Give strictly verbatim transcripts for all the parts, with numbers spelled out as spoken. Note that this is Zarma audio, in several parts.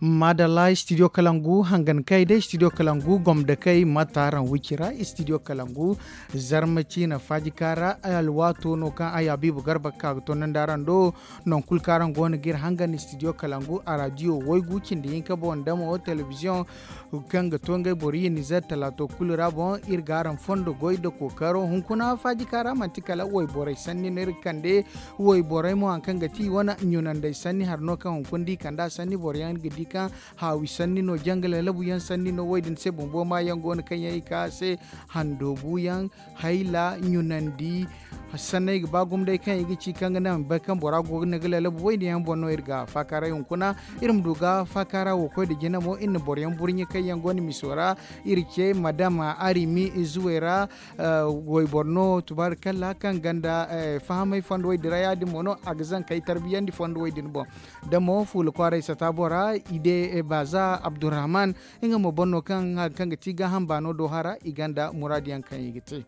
Maadalla, studio kalangu hangan kay day, studio kalangu gomda kay mata araŋ wicira, studio kalangu zarma ciina faaji kaara. Alwaato no kaŋ ay abiibu garba ga ka ga tondandi araŋ do. Nangu kulu kaŋ araŋ go no ga iri hangan studio kalangu a raadiyo waygu cindi hinka boŋ da mo telebiziyoŋ kaŋ ga to ngey boro ye nizer talaato kulu ra boŋ, iri ga araŋ fondo goy da kookaro hunkuna faaji kaara manti kala wayborey sanni no iri ga kande. Wayborey mo hari kaŋ ga ti i wane ɲunandey sanni hari no kaŋ hunkuna da i kand'a sanni boroyaŋ ga di kaŋ haawi sanni no janga lalabu yaŋ sanni no wo- din se bumbo maayaŋ go no kaŋ yaŋ i ka a se, handoobu yaŋ, hayla, ɲunandi. Sanney ga ba gumo day kaŋ i ga ci kaŋ ga naŋ bay kaŋ bora go ga ne ga lalabu wayne yaŋ boŋ no iri ga faakaaray hunkuna. Iri ma du ga faakaara wo koy nda jina mo iri na boroyaŋ burɲe kaŋ yaŋ go no miso ra. Iri ce madama arimi zuwey ra wayboro no tubaari kalla kaŋ ganda fahamay fondo way din ra ya- din mo no a ga zankey tarbiyandi fondo way din boŋ. Da mo fuula kwaaray sata bora ide baaza abdurrahman, nga mo boŋ no kaŋ hari kaŋ ga ti gaaham baano do hara i gonda muraadu yaŋ kaŋ i ga te.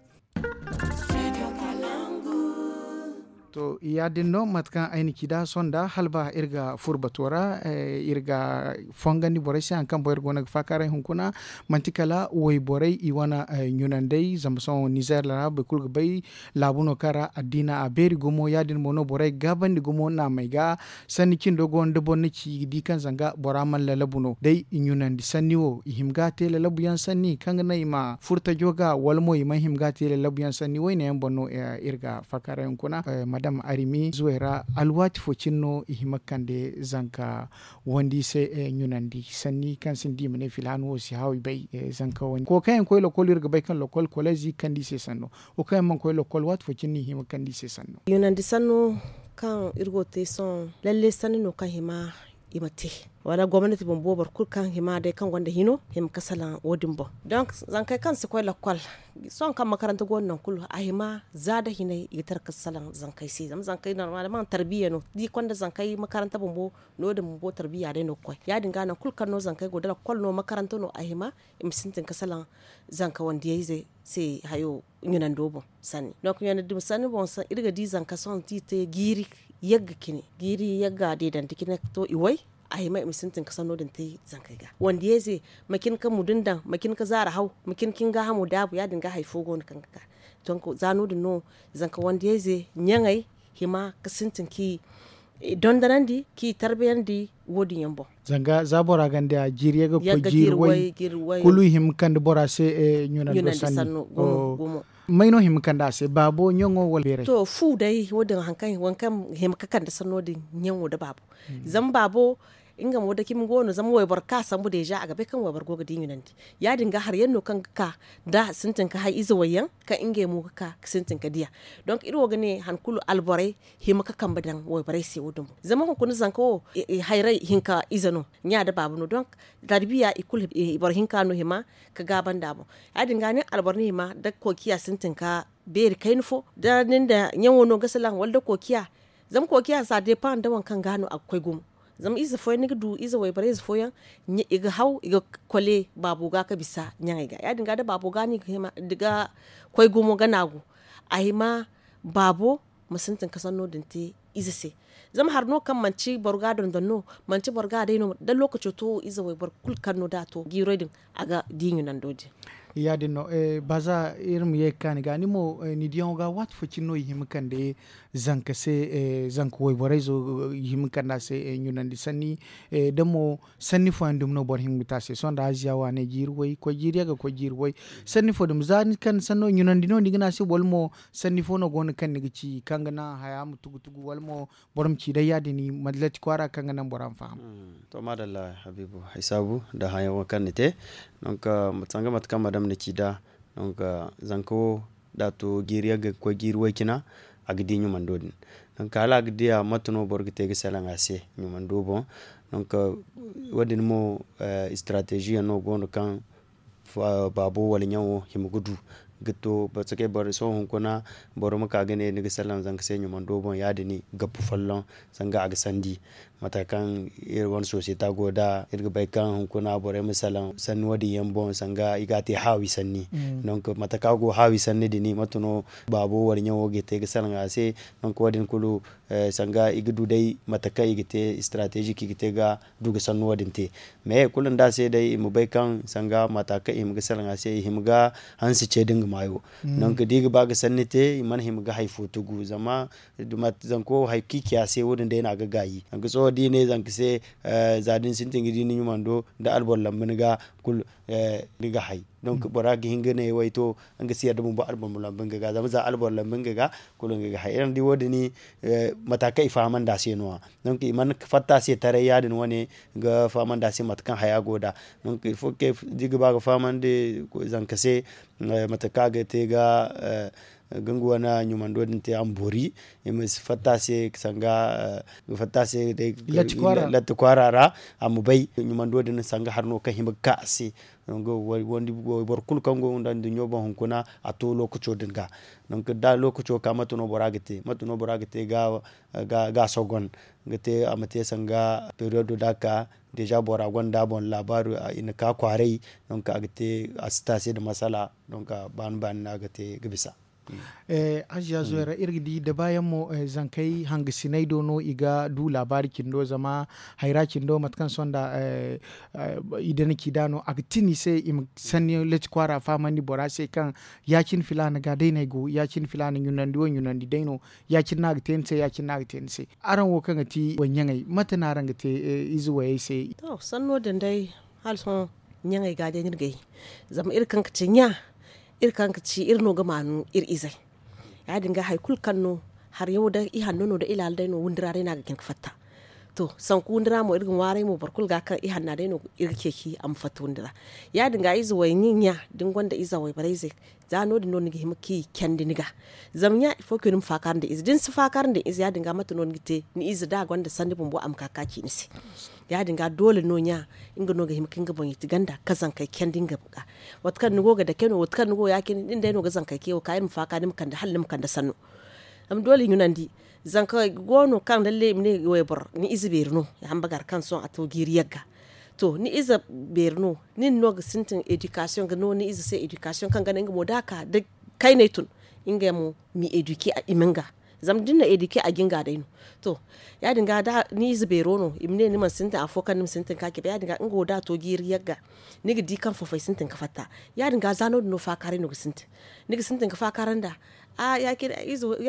To ya- din no mate kaŋ ay na ci nd'a sonda hala ba iri ga furo bato ra, iri ga fongandi borey se hari kaŋ boŋ iri go no ga faakaaray hunkuna. Manti kala wayborey i wane ɲunandey zama sohõ nizer ra boro kulu ga bay laabu no kaŋ ra addiina a beeri gumo ya- din mo no borey ga gaabandi gumo naamey ga. Sanni cindo go no da boro na ci i ga di kaŋ zanga bora mana lalabu no day i ɲunandi sanni wo i hima ga a te lalabu yaŋ sanni kaŋ ga naŋ i ma furo tajo ga wala mo i mana hima ga a te lalabu yaŋ sanni wayne yaŋ boŋ no iri ga faakaaray hunkuna. Madam arimi zuwey ra alwaati fo cine no i hima ga kande zanka wandi se ɲunandi sanni kaŋ sinda i ma ne filhano wo si haawi bay. Zanka wandi koy kaŋ yaŋ koy lokol iri ga bay kaŋ lokol koleezi kande i se sanno. Wo kaŋ yaŋ mana koy lokol waati fo cine no i hima ga kande i se sanno. Ɲunandi sanno kaŋ iri go ga te sohõ lalle sanni no kaŋ hima i ma te wala gomnati bumbo boro kulu kaŋ hima day kaŋ gonda hino hima ga salaŋ wo- din boŋ. Donk zankey kaŋ si koy lokol sohõ kaŋ makaranta go no nangu kulu a hima za nda hinay i ga tara ga salaŋ zankey se zama zankey normalement tarbiya no da i konda zankey makaranta bumbo no- din bumbo tarbiya day no ga koy ya- din ga nangu kulu kaŋ no zankey go da lokol no makaranta no a hima i ma sintin ga salaŋ zanka wandiyayze se hayo ɲunando boŋ sanni donk ɲunandi ma sanni boŋ iri ga di zanka sohõ da i te jiiri yagga cine jiiri yagga deedandi cine ga to i way a hima i ma sintin ga sanno din te zankey ga wandiyayze ma cin ga mudun daŋ ma cin ga zaara haw ma cin ga ni gaahamo daabu ya- din ga hari fo go no kaŋ ga ka donk za no- din no zanka wandiyayze ɲaŋey hima ga sintin ka i dondanandi ka i tarbiyandi wo- din yaŋ boŋ. Zanga za bora gonda jiiri yagga ga koy jiiri way kulu i hima ga kande bora se ɲunando sanno gumo. May no hima ga kande a se baabo ɲaŋo wala beeray? To fu day wo- din hari kaŋ hima ga kande sanno din ɲaŋo nda baabo zama baabo nga mo da cimi go no zama wayboro kaŋ a sambu deeza a ga bay kaŋ wayboro go ga di ɲunandi ya- din ga hari yaŋ no kaŋ ga ka da sintin ga hay ize wayyaŋ kaŋ ngey mo ga ka ga sintin ga diya. Donk iri wo ga ne hari kulu alborey hima ga kambe daŋ wayborey se wo- din boŋ zama hunkuna zanka wo hayray hinka ize no ɲa nda baaba no donk tarbiya i kulu boro hinka no hima ga gaaba nd'a boŋ. Ya- din ga nin alboro ni hima da kookiya sintin ga beeri kayna fo da nin da ɲaŋo no ga salaŋ wala da kookiya zama kookiya za deepaŋ nda waŋ kaŋ ga no a ga koy gumo. Zama ize fooyaŋ ni ga du ize wayborey ize fooyaŋ i ga haw i ga kole baabo ga ga bisa ɲaŋey ga ya- din ga da baabo ga no i ga hima da ga koy gumo ga naagu a hima baabo ma sintin ga sanno din te ize se. Zama hari no kaŋ manti boro ga dondon no manti boro ga day no da lookaco to ize wayboro kulu kaŋ no da a to jiirey din a ga di ɲunando din. Ya- din no. Baaza iri ma ye ga ka ni ga ni mo ni diyaŋo ga waati fo cine no i hima ga kande zanka se zanka wayborey zo i hima ga kande a se ɲunandi sanni da mo sanni fooyaŋ dumi no boro hima ga te a se sohõ nda aziya waaney jiiri way koy jiiri yagga koy jiiri way sanni fo dumi za ni kande sanno ɲunandi no ni ga ne a se wala mo sanni fo no go no kaŋ ni ga ci kaŋ ga naŋ haya ma tugu tugu wala mo boro ma ci day ya- din mallati kwaara kaŋ ga naŋ bora ma faham. To maadalla habiibu ay saabu nda hayaŋo kaŋ ni te. Donk sanga mate kaŋ madam na ci nd'a donk zanka wo da a to jiiri yagga ga koy jiiri way cina a ga di ɲumando din. Donk hala a ga diya mate no boro ga te ga salaŋ a se ɲumando boŋ. Donk wo- din mo istarateezi yaŋ no go no kaŋ baabo wala ɲaŋo hima ga du ga to parce que boro sohõ hunkuna boro ma ka ga ne ni ga salaŋ zanka se ɲumando boŋ ya- din gappu folloŋ sanga a ga sandi. Mate kaŋ iri wane sosiyeta go nd'a iri ga bay kaŋ hunkuna borey ma salaŋ sanni wo- din yaŋ boŋ sanga i ga a te haawi sanni. Donk mate kaŋ a go haawi sanni din mate no baabo wala ɲaŋo ga te ga salaŋ a se. Donk wo- din kulu Sanga i ga du day mate kaŋ i ga te istarateezik i ga te ga du ga sannu wo- din te. Mais kulu nda a se day i ma bay kaŋ sanga mata kaŋ i hima ga salaŋ a se i hima ga hanse ce da nga maayo. Donc da i ga ba ga sanni te i mana hima ga hari fo tugu zama zanko hari kaŋ i ci a se wo- din day no a ga gaayi. Zanka sohõ da i ne zanka se za da ni sintin ga di ni ɲumando da alboro lambu ni ga kulu ni ga hay. Donc bora ga hin ga ne way to nga si yadda bumbo alboro ma lambu nga ga zama za alboro lambu nga ga kulu nga ga hay iri na di wo- din. Mata kaŋ i fahamandi a se no- ya. Donc i mana fatta a se taray ya- din wane ga fahamandi a se mate kaŋ haya go nd'a. Donc il faut que da i ga ba ga fahamandi zanka se mate kaŋ a ga te ga ga nga wane ɲumando din te a ma boori. I ma si fatta a se sanga ga fatta a se day latti kwaara ra a ma bay ɲumando din sanga hari no kaŋ hima ga ka a se. Boro kulu kaŋ go nda nduɲɲo boŋ hunkuna a to lookaco din ga. Donc da lookaco ka mate no bora ga te mate no bora ga te ga sogon ga te a ma te sanga periyodo da a ka deja bora gonda a boŋ laabaari i na ka kwaaray. Donc a ga te a si te a se nda masala. Donc baani baani no a ga te ga bisa. Aziya zoyra iri ga di dabaayaŋ mo zankey hangasiney do no i ga du laabaari cindo zama hayra cindo mate kaŋ sohõ nda i dana ci nd'a no a ga tin i se i ma sanni lati kwaara fahamandi bora se kaŋ ya- cine filaana ga day no ay go ya- cine filaana ɲunandi wo ɲunandi day no ya- cine no a ga te ni se ya- cine no a ga te ni se. Araŋ wo kaŋ ga ti wayɲaŋey mate no araŋ ga te ize wayey se? To sanno din day hala sohõ ɲaŋey ga day no iri ga ay zama iri kaŋ ga ci ɲa iri kaŋ ga ci iri no ga maanu iri izey. Ya- din ga hari kulu kaŋ no hari yaŋ wo day ihanno no da ilaala day no windi ra day no a ga jin ga fatta. To sanku windi ra mo iri ga ŋwaaray mo boro kulu ga kaŋ ihanna day no iri ga ceeci a ma fatta windi ra. Ya- din ga ize wayɲaŋ ɲa da ni gonda ize wayborey zey za no- din no ni ga hima ga i candi ni ga. Zama ɲa il faut que ni ma faakar nda ize da ni si faakar nda ize ya- din ga mate no ni ga te ni ize da a gonda sanni bumbo a ma ka ga ci ni se. Ya- din ga doole no ɲa nga no ga hima ga nga boŋ yeti ganda ga zankey candi nga ga. Waati kaŋ ni go ga dake no waati kaŋ ni go ya- cine nin day no ga zankey ke wo ka iri ma faaka ni ma kande hala ni ma kande sanno. Zama doole i ɲunandi zanka go no kaŋ lalle i ma ne wayboro ni ize beeri no i hamba gar kaŋ sohõ a to jiiri yagga. To ni ize beeri no nin no ga sintin edikasiyoŋ ga no ni ize se edikasiyoŋ kaŋ ga naŋ nga mo da a ka da kayney tun nga mo m'i edike i ma nga. Zama da ni na edike a jinga day no. To ya- din ga da ni ize beero no i ma ne ni mana sintin afo kaŋ ni ma sintin ka cabe ya- din ga nga wo da a to jiiri yagga. Ni ga di kaŋ fofey sintin ga fatta ya- din ga za no- din no faakaaray no ga sintin. Ni ga sintin ga faakaara nda a ya-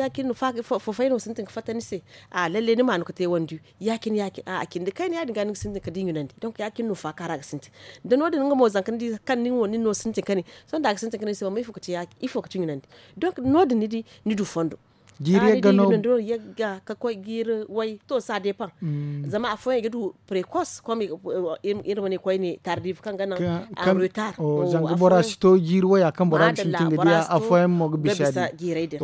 cine fofey no sintin ga fatta ni se. A lalle ni ma no ga te wandi ya- cine ya- cine a cindi kayna ya- din ga ni ga sintin ga di ɲunandi donk ya- cine no faakaara ga sintin. Da no- din nga mo zanka ni di kaŋ nin wo nin no sintin ga ne sohõ da a ga sintin ga ne ni se wamma ifo ga ci ɲunandi. Donk no- din ni di ni du fondo. Jiiri yagga no. Yagga ka koy jiiri way to sa depan. Zama afooyaŋ i ga du prekos kom iri ma ne koyne tardiv kaŋ ga naŋ en retar. Zanga bora si to jiiri waya kaŋ bora ga sintin ga diya afooyaŋ mo ga bisa jiirey din.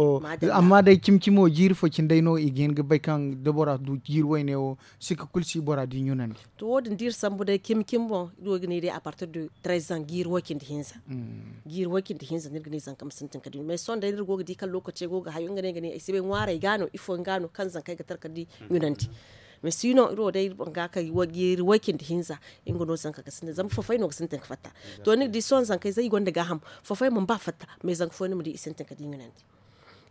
Amma day cimi cimo jiiri fo cine day no i ga hin ga bay kaŋ da bora du jiiri wayne wo sika kulu si bora di ɲunandi. To wo- din da iri sambu day cimi cimi boŋ iri wo ga ne day a partir de trez ans jiiri way cindi hinza. Jiiri way cindi hinza no iri ga ne zanka ma sintin ka di mais sohõ day da iri go ga di kaŋ lokaci go ga hayo nga ne ay si bay ŋwaarey ga no ifo nga no kaŋ zankey ga tara ka di ɲunandi. Mais si no iri wo day iri boŋ ga kay jiiri way cindi hinza. Nga no zanka ga sintin zama fofey no ga sintin ka fatta. To ni ga di sohõ zankey za i gonda gaaham fofey mana ba fatta mais zanka fooyaŋ ni ma di i sintin ka di ɲunandi.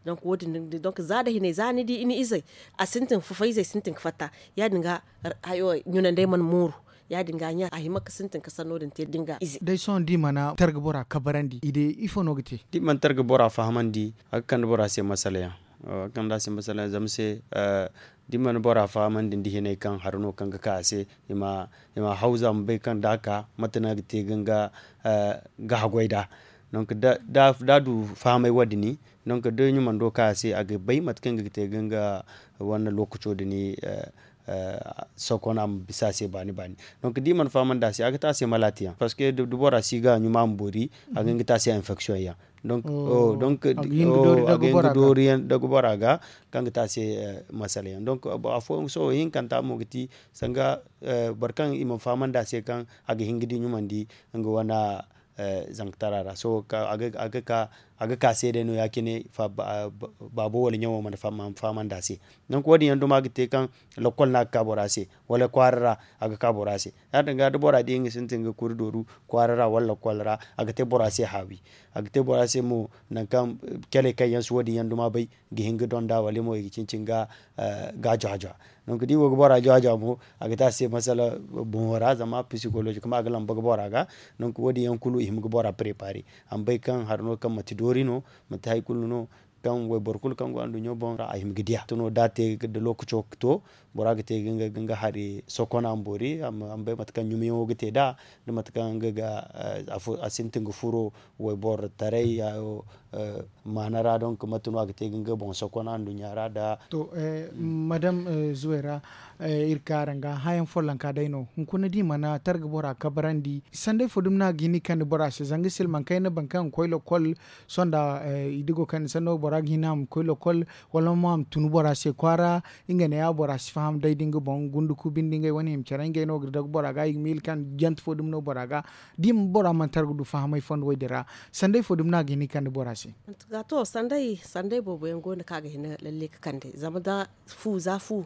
Donc wo- din donk za da hinay za ni di ni izey a sintin fufay izey sintin ga fatta. Ya- din ga hayo ɲunandey mana mooru. Ya- din ga ɲa a hima ga sintin ga sanno din te da ni ga ize. Day sohõ da i mana targa bora kabarandi i day ifo no ga te? Da i mana targa bora fahamandi a ga kande bora se masalayaŋ. A ga kande a se masalayaŋ zama se da i mana bora fahamandi nda hinay kaŋ hari no kaŋ ga ka a se i ma hawza ma bay kaŋ da a ka mate no a ga te ga nga ga haggoy nd'a. Donc da a du fahamay wo- din donc da ɲumando ka a se a ga bay mate kaŋ ga te ga nga wane lokaco din sokon a ma bisa a se baani baani. Donc da i mana fahamandi a se a ga te a se malaati yaŋ parce que da bora si ga ɲuma a ma boori a ga hin ga te a se infection yaŋ. Donc a ga hin ga doori yaŋ dagu bora ga kaŋ ga te a se masala yaŋ donc afooyaŋ sohõ hinkanta mo ga ti sanga boro kaŋ i mana fahamandi a se kaŋ a ga hin ga di ɲumandi nga wane zankatara ra sohõ a ga ka A ga ka se day no ya- cine. Baabo wala ɲaŋo mana fahamandi a se. Nangu wo- din yaŋ duma ga te kaŋ lakkol no a ga ka bora se, wala kwaara ra a ga ka bora se. Ya- din ga da bora di nga sintin ga kuri dooru kwaara ra wala lakkol ra, a ga te bora se haawi. A ga te bora se mo nangu kaŋ caley kaŋ yaŋ si wo- din yaŋ duma bay ga hin ga donda wala mo i ga cincin ga jwa-jwa. Nangu da i go ga bora jwa-jwa mo, a ga te a se masala boŋo ra zama psikolozi kama a ga lamba ga bora ga. Nangu wo- din yaŋ kulu i hima ga bora preparer. A ma bay kaŋ hari no kaŋ manti doori no, manti hari kulu no kaŋ wayboro kulu kaŋ go anduɲɲo boŋ ra a hima ga diya. Tano da a te da lookaco to, bora ga te ga nga hari sokon a ma boori a ma bay mate kaŋ ɲumiyaŋo ga te nd'a, da mate kaŋ nga ga a sintin ga furo wayboro taray maana ra donk mate no a ga te ga nga boŋ sokon anduɲɲa ra da. To, madam zuway ra, iri ka araŋ ga hayaŋ follonka day no hunkuna da i mana targa bora kabarandi sanday fo dumi no a ga hin i kande bora se zanga silmaŋ kayna boro kaŋ ga koy lokol. Sonda i di go kande sanno bora ga hin a ma koy lokol wala mo a ma tun bora se kwaara. Nga ne ya bora si faham day da nga boŋ gunduku binde ngey wane i ma care ngey no ga dagu bora ga i ga miila kaŋ jante fo dumi no bora ga da i ma bora mana targa du fahamay fondo wo- din ra. Sanday fo dumi no a ga hin i kande bora se. Ga to sanday sanday boobo yaŋ go no kaŋ a ga hin lalle ga kande zama da fu za fu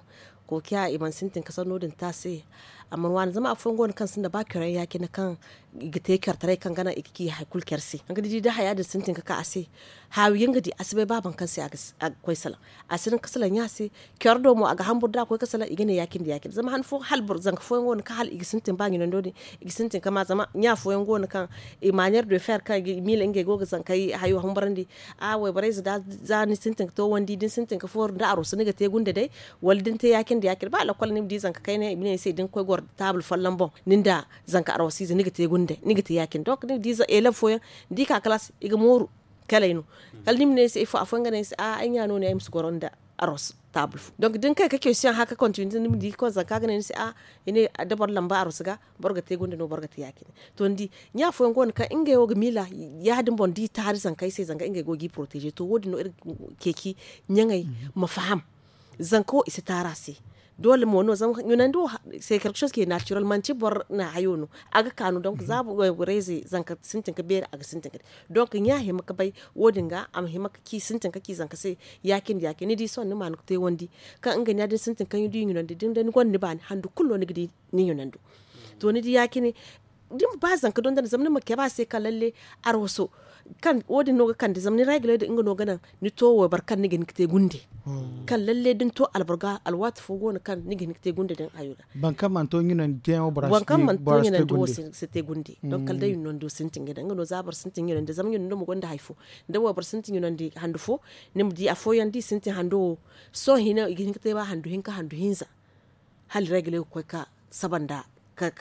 kookiya i mana sintin ka sanno din te a se. Amma waani zama afooyaŋ go no kaŋ sinda ba care yaŋ ya- cine kaŋ i ga te care taray kaŋ ga naŋ i ga ci hari kulu care se. Ni di da haya din sintin ka ka a se. Haawi yaŋ ga di a si bay ba boro kaŋ se a ga koy salaŋ. A si hin ga salaŋ ɲa se. Care do mo a ga hambur da a koy ga salaŋ i ga ne ya- cine da ya- cine zama han fo hala boro zanka fooyaŋ go no kaŋ hala i ga sintin ba ɲunando din i ga sintin ka ma zama ɲa fooyaŋ go no kaŋ i maaɲeer de fer kaŋ i ga i miila ngey go ga zankey hayo hambarandi. A wayborey za da za ni sintin ka to wandi da ni sintin ka fooru nda arooso ni ga te gunde day. Wala da ni te ya- cine da ya- cine ba lakkol ni ma di zanka kayna i ma ne ni se da ni koy goro taabul folloŋ boŋ ni nda zanka arooso ize ni ga te gunde ni ga te ya- cine donk ni ga di elef fooyaŋ ni di ka kalaas i ga mooru. Kalay no kala ni ma ne ni se ifo afooyaŋ ga ne ni se ay ɲa no- ne ay ma si goro nda arooso taabul fo donk da ni kay ka keesiyoŋ haka kontinite ni ma di koy zanka ga ne ni se a i ne da boro lamba arooso ga boro ga te gunde no boro ga te ya- cine. To ni di ɲa fooyaŋ go no kaŋ ngey wo ga miila ya- din boŋ da i taari zanka ay se zanga ngey go ga i poroteeze to wo- din no iri ga ceeci ɲaŋey ma faham. Zanka wo i si taari a se. Doole mo no zama ɲunandi wo se kalkasooz ke naatirel manti boro na hayo no. A ga kaanu donk za borey ze zanka sintin ka beeri a ga sintin ka di donk ɲa hima ga bay. Wo- din ga a ma hima ga ci sintin ka ci zanka se. Ya- cine ya- cine ni di sohõ ni ma ni ga te wandi kaŋ nga ɲa da ni sintin kaŋ ni di ɲunandi da ni gonda ni baani handu kulu no ni ga di. Ni ɲunando to ni di ya- cine da ni ma ba zanka dondon zama ni ma cabe a se kaŋ lalle arooso kaŋ wo- din no ga kande zama ni regle din nga no ga naŋ ni to wayboro kaŋ ni ga hin ga te gunde. Kaŋ lalle da ni to alboro ga alwaati fo go no kaŋ ni ga hin ga te gunde din hayo ga. Boro kaŋ mana to ɲunandi te yaŋo boro si te gunde. Donk kala day ɲunando sintin ga daŋ nga no za boro sintin ɲunandi zama ɲunando ma gonda hari fo. Da wayboro sintin ɲunandi handu fo ni ma di afooyaŋ da i sintin hando wo sohõ hina i ga hin ga te ba handu hinka handu hinza. Hala regle ga koy ka saba nda ka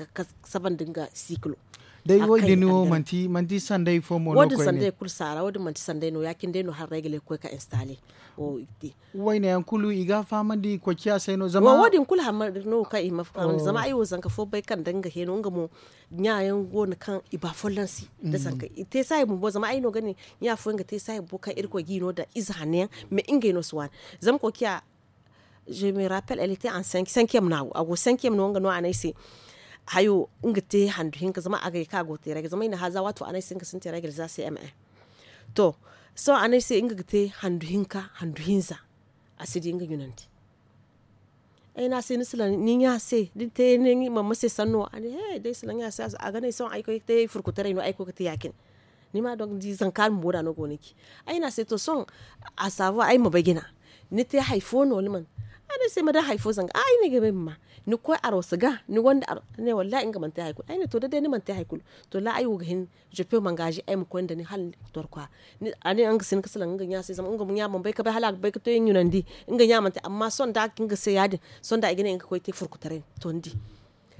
saba nda nga sikilo. Day wo- din wo manti sanday fo mo no koyne. Wo- din sanday kulu saara wo- din manti sanday no ya- cine day no hala regle ga koy ka installe. Wayne yaŋ kulu i ga a fahamandi koy ciya se no zama wo- din kulu hammadi no kaŋ i ma fahamandi zama ay wo zanka fo bay kaŋ da nga heeno nga mo. Ɲa yaŋ go no kaŋ i ba folloŋ se da zanka i te saayi bumbo zama ay no ga ne ɲa fooyaŋ ga te saayi bumbo kaŋ irkoy ga i no daŋ ize hanno yaŋ. Mais ngey no si waani zama koy ciya. Je me rappelle elle était en cinquième no a go cinquième no nga no a ne ay se. Hayo nga te handu hinka zama a ga ye kaŋ a go te règle zama i na haaza waati fo a ne ay se nga sintin règle za cm1. To sohõ a ne ay se nga ga te handu hinka handu hinza. A si di nga ɲunandi. Ay ne a se ni si laŋ ni ɲa se da ni te ni mamma se sanno a ne he day si laŋ ɲa se. A ga ne ay sohõ ay koy ga te furkutaray no ay koy ga te ya- cine. Ni ma donk ni di zanka bumbo da no go no ci. Ay ne a se to sohõ a saabu ay ma bay jina. Ni te hari fo no ni mana? A ne ay se ma daŋ hari fo zanga a ay ne ay ga bay ma ma. Ni koy arooso ga ni gonda arooso a ne wallahi nga mana te hari kulu ay ne to da day ni mana te hari kulu. To la ay wo ga hin je peux m'engager ay ma koy nda ni hala ni ga torkwa. A ne nga si hin ga salaŋ nga ɲa se zama nga ɲa mana bay ga bay hala a ga bay ga te ɲunandi. Nga ɲa mana te amma sohõ da a ga hin ga se ya- din sohõ da i ga ne nga ga koy te furkutaray no to ni di.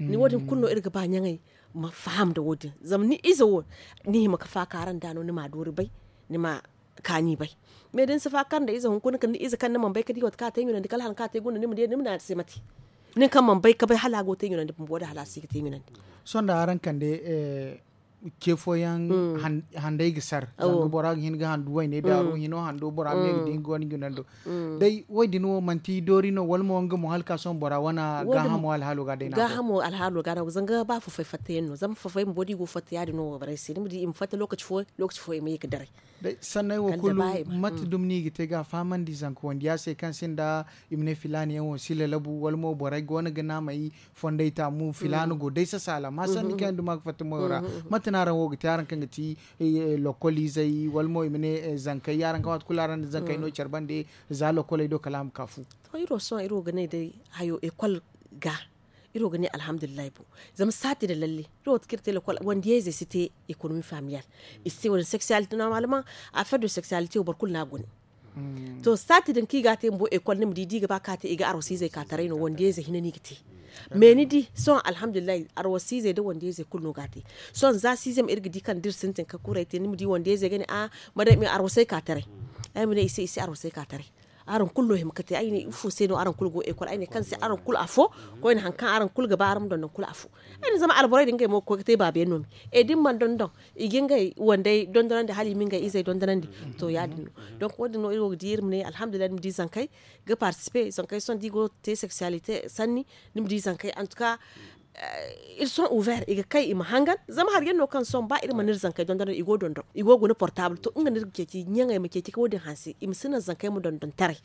Ni wo- din kulu no iri ga ba ɲaŋey ma faham nda wo- din zama ni ize wo ni hima ga faaka araŋ da no ni ma a doori bay. Ni ma kaani bay. Mais da ni si faaka nda ize hunkuna kala ni ize kaŋ ni mana bay ga di waati kaŋ a te ɲunandi kala hala kaŋ a te gunda ni ma di ni ma ne a se mate. Nin kaŋ mana bay ga bay hala a go ga te ɲunandi bumbo da hala a si ga te ɲunandi. Sohõ nda araŋ kande ce fooyaŋ handay ga sar. Zanga bora ga hin ga handu wayne daaru hino hando bora me ga di nga wane junando. Day wo- din wo manti doori no wala mo nga mo hala ka sohõ bora wane gaahamo alhaalo ga day no. Zanga ba fafay fatta yaŋ no zama fafay bumbo da i go fatta ya- din no wo borey se ni ma di i ma fatta lookaci fo i ma ye ga daray. Sanney wo kulu mate dumi no i ga te ga a fahamandi zanka wandiya se kaŋ sinda i ma ne filaana yaŋ wo si lalabu wala mo borey go no ga naamay fondey taamu filaana go day sasala ma sanni kaŋ yaŋ duma ga fatta moyo ra. Mate no araŋ wo ga te araŋ kaŋ ga ti lokol izey wala mo i ma ne zankey araŋ kaŋ waati kulu araŋ na zankey no care bande za lokoley do kala a ma ka fu. To iri wo sohõ iri wo ga ne day hayo ekol ga iri wo ga ne alhamdulillahi bo. Zama saati da lalle iri wo ga ti kaŋ iri te lokol wandiyayzey si te ekonomi familiyal. I si te wala seksiyalite normalman a feddo seksiyalite wo boro kulu no a gune. To saati din kaŋ i ga a te bumbo ekol ni ma di da i ga ba ka te i ga arwasiizey ka taray no wandiyayze hina no i ga te. Mais ni di sohõ alhamdulillahi arwasiizey nda wandiyayze kulu no ga a te. Sohõ za siizem iri ga di kaŋ da iri sintin ka kuray te ni ma di wandiyayze ga ne a madam i ma arwasey ka taray. Ay ma ne i se i si arwasey ka taray. Araŋ kulu no hima ka te ay ne ifo se no araŋ kulu go ekol ay ne kaŋ se araŋ kulu afo. Koyne hari kaŋ araŋ kulu ga ba araŋ ma dondon kulu afo. Ay ne zama alborey din ngey mo ga koy ga te baabiyaŋ no me e da ni mana dondon i ga ngey wandey dondonandi hala i ma ngey izey dondonandi. To ya- din no donc wo- din no iri wo ga di iri ma ne alhamdulillahi ni ma di zankey ga partisipe zankey sohõ da i go ga te seksiyalite sanni ni ma di zankey antuka. Iri sohõ uver i ga kay i ma hangan zama hari yaŋ no kaŋ sohõ ba iri mana iri zankey dondonandi i go ga guna portabul to nga no iri ga ceeci ɲaŋey ma ceeci ka wo- din hanse i ma si naŋ zankey ma dondon taray.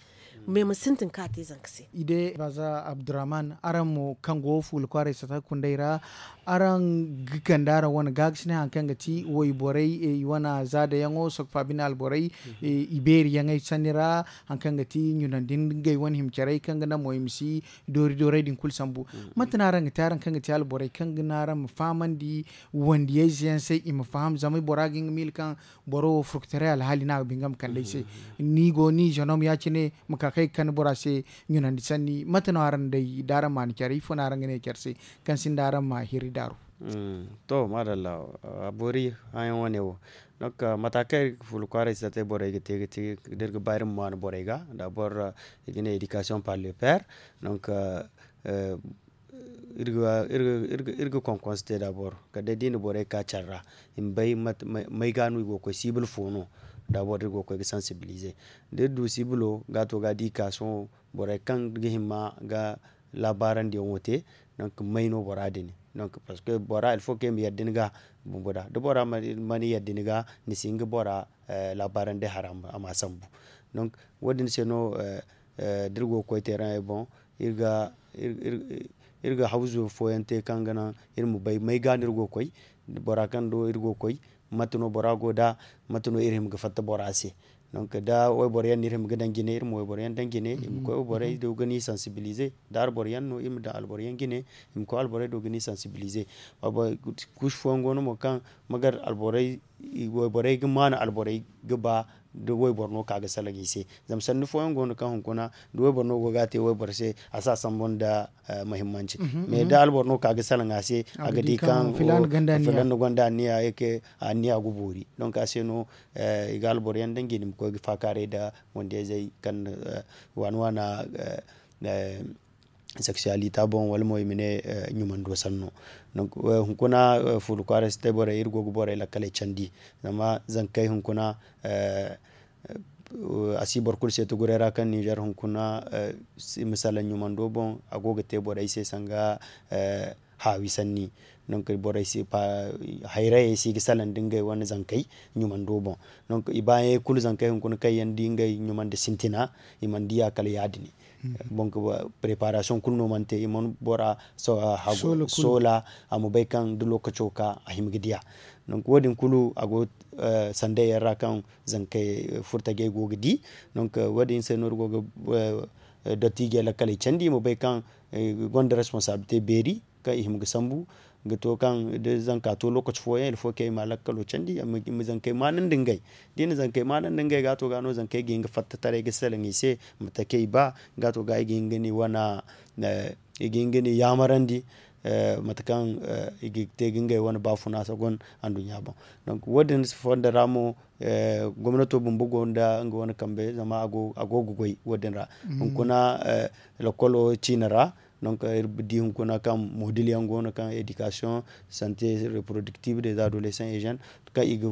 Mais ma sintin ka te zanka se. I de baza abdurrahman araŋ mo kaŋ go fuula kwaaray sata kundey ra araŋ ga kande araŋ wane gaakasinay hari kaŋ ga ti wayborey i wane zaadayaŋo sokfa bine alborey i beeriyaŋey sanni ra hari kaŋ ga ti ɲunandi ngey wane hima carey kaŋ ga naŋ mo i ma si doori doorey din kulu sambu. Mate no araŋ ga te araŋ kaŋ ga te alborey kaŋ ga naŋ araŋ ma fahamandi wandiyayze yaŋ se i ma faham zama bora ga nga miila kaŋ boro wo furkutaray alhaali no a ga ba nga ma kande ay se. Ni go ni zenom ya- cine ma ka kay ga kande bora se ɲunandi sanni mate no araŋ day da araŋ ma ni care ifo no araŋ ga ne care se kaŋ sinda araŋ ma hiri daaru. To maadalla a boori hããyaŋ wane wo. Donc mata kaŋ iri ga fuula kwaaray si tatay borey ga te ga te da iri ga ba iri ma waani borey ga da boro i ga ne éducation par le père. Donc iri ga konkonse te da boro kala day da i na borey ka care ra i ma bay may ga no i go ga koy siibul fo no. Da boro da iri go ga koy ga sansibilize da iri du siibulo ga to ga da i ka sohõ borey kaŋ ga hima ga laabaarandi yaŋo te. Donc may no bora din donc parceque bora ilfo kaŋ i ma yadda ni ga bumbo da da bora mana yadda ni ga ni si hin ga bora laabaarandi hara a ma sambu. Donc wo- din se no da iri go ga koy teeraŋey boŋ iri ga hawzu fooyaŋ te kaŋ ga naŋ iri ma bay may ga no iri go ga koy bora kaŋ do iri go ga koy mate no bora go nd'a mate no iri hima ga fatta bora se. Donc da wayboro yaŋ no iri hima ga daŋ jine iri ma wayboro yaŋ daŋ jine i ma koy wayboro yaŋ do ga ni sansibilize da alboro yaŋ no iri ma daŋ alboro yaŋ jine i ma koy alboro yaŋ do ga ni sansibilize. Kuusu fooyaŋ go no mo kaŋ magar alborey wayborey ga maanu alborey ga ba da wayboro no ka ga salaŋ i se. Zama sanni fooyaŋ go no kaŋ hunkuna da wayboro no go ga a te wayboro se a si a sambu nda muhimmanci. Mais da alboro no ka ga salaŋ a se a ga di kaŋ filan na gonda anniya yake anniya ga boori. Donc a se no i ga alboro yaŋ daŋ jine i ma koy ga faakaaray nda wandiyayzey kaŋ waana waana seksuwalita boŋ wala mo i ma ne ɲumando sanno. Donc hunkuna fuula kwaaray si te borey iri go ga borey lakkaley candi zama zankey hunkuna a si boro kulu se tuguray ra kaŋ ninzeer hunkuna i ma salaŋ ɲumando boŋ a go ga te borey se sanga haawi sanni. Donc borey si hayrayey si ga salaŋ nda ngey wane zankey ɲumando boŋ. Donc i baayaŋey kulu zankey hunkuna kaŋ yaŋ di ngey ɲumandi sintina i mana diya kala ya- din. Bon preparasiyoŋ kulu no mana te i mana bora soola a ma bay kaŋ da lookaco ka a hima ga diya. Donc wo- din kulu a go sanday yaŋ ra kaŋ zankey furtajey go ga di. Donc wo- din se no iri go ga dottijey lakkaley candi i ma bay kaŋ gonda responsabilite beeri kaŋ i hima ga sambu ga to kaŋ da zanka to lookaci fooyaŋ ilfo kaŋ i ma lakkalo candi i ma zankey maanandi ngey da i na zankey maanandi ngey ga to ga no zankey ga hin ga fatta taray ga salaŋ i se mate kaŋ i ba ga to ga i ga hin ga ni wane i ga hin ga ni yaamarandi mate kaŋ i ga te ga ngey wane baafuna sagon anduɲɲa boŋ. Donc wo- din fondo ra mo gomnato bumbo go nda nga wane kambe zama a go ga goy wo- din ra hunkuna lokolo ciine ra Donc iri di hunkuna kaŋ modil yaŋ go no kaŋ éducation, santé reproductive des adolescents et jeunes, kaŋ i ga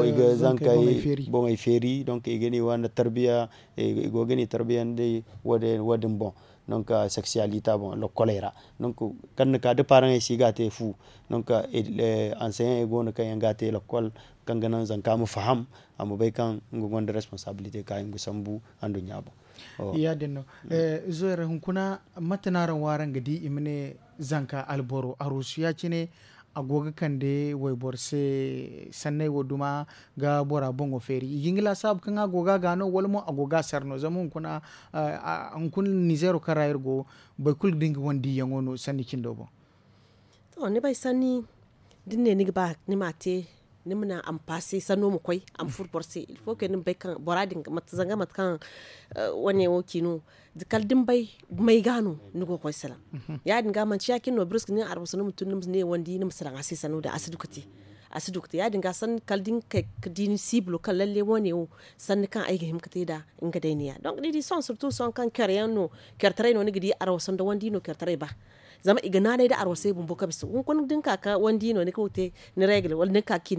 i ga zankey boŋey feeri. Donc i ga ne i wane tarbiya, i go ga ne tarbiya nda wo- din boŋ. Donc sexualité boŋ lokoley ra. Donc kaŋ ni ka da paraŋey si ga te fu. Donc anseyaŋey go no kaŋ yaŋ ga te lokol, kaŋ ga naŋ zanka ma faham, a ma bay kaŋ nga gonda responsabilité ka nga sambu anduɲɲa boŋ. Ya- din no. Izo yare hunkuna, mate no araŋ wo araŋ ga di i ma ne zanka alboro arusu ya- cine, a go ga kande wayboro se sanney wo duma ga bora boŋo feeri i ga hin ga laasaabu kaŋ a go ga a ga no wala mo a go ga a sar no zama hunkuna nizeero kaŋ ra iri go, boro kulu ga di nga wane diiyaŋo no sanni cindo boŋ. To ni bay sanni, da ni ne ni ga ba ni ma a te, ni ma naŋ a ma paase sanno ma koy, a ma furo boro se. Il faut que ni ma bay kaŋ bora din zanga mate kaŋ wane wo ci no, kala da ni bay may ga no ni go ga koy salaŋ. Ya- din ga manti ya- cine no biriska ni arwaso ni ma tun ni ma ne wandi ni ma salaŋ a se sanno din a si du ga te. A si du ga te ya- din ga sanni kala da ni kay ga di ni siibilo kaŋ lalle wane wo sanni kaŋ ay ga hima ga te nd'a. Nga day ni ya donc ni di sohõ sirtu sohõ kaŋ care yaŋ no, care taray no ni ga di arwaso nda wandi no care taray ba. Zama i ga naanay nda arwasey bumbo ka bisa hunkuna da ni ka ga wandi no ni ga te ni regle wala ni ga ka ga ci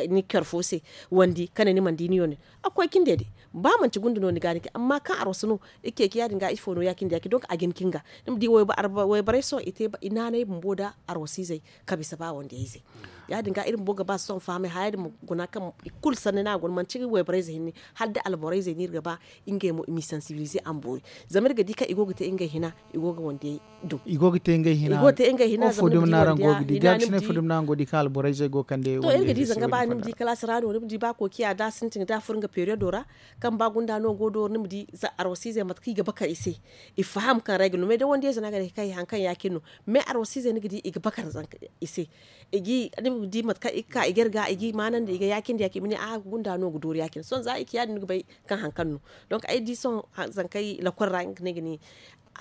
ni care fo se, wandi kane ni mana di ni yone. A ga koy cindey day ba manti gunda no ni ga ni ga amma kaŋ arwasu no, i ga ceeci ya- din ga ifo no ya- cindi ya- cindi donk a ga hin ga ni ma di wayborey sohõ i te i naanay bumbo nda arwasiizey ka bisa ba wandiyayzey. Ya- din ga iri bumbo ga ba sohõ fahamay haya din ma guna kaŋ i kulu sanni no a go no manti wayborey ze hinne, hala da alborey ze no iri ga ba ngey mo i m'i sansibilize a ma boori. Zama iri ga di kaŋ i go ga te ngey hina, i go ga wandiyay du i go ga te ngey hina. Fo dumi no araŋ go ga di gaari si ne fo dumi no araŋ go ga di kaŋ alborey ze go ga kande to iri ga di zanga ba ni ma di kalaasi ra no ni ma di ba kookiya da a sintin da a furo nga periyodo ra, kaŋ ba gunda no go dooro ni ma di za arwasiizey mate kaŋ i ga bakar i se. I faham kaŋ regle no mais da wandiyayze no a ga ne kaŋ i haŋ kaŋ ya- cine no. Mais arwasiizey ni ga di i ga bakar i se. I ga i ma di mate kaŋ i ga ka i ga iri ga i ga i maanandi i ga ya- cindi ya- cindi i ma ne a gunda no ga doori ya- cine sohõ za i ci ya- din ni ga bay kaŋ haŋ kaŋ no. Donk ay di sohõ zankey lakol ra nga ne ga ne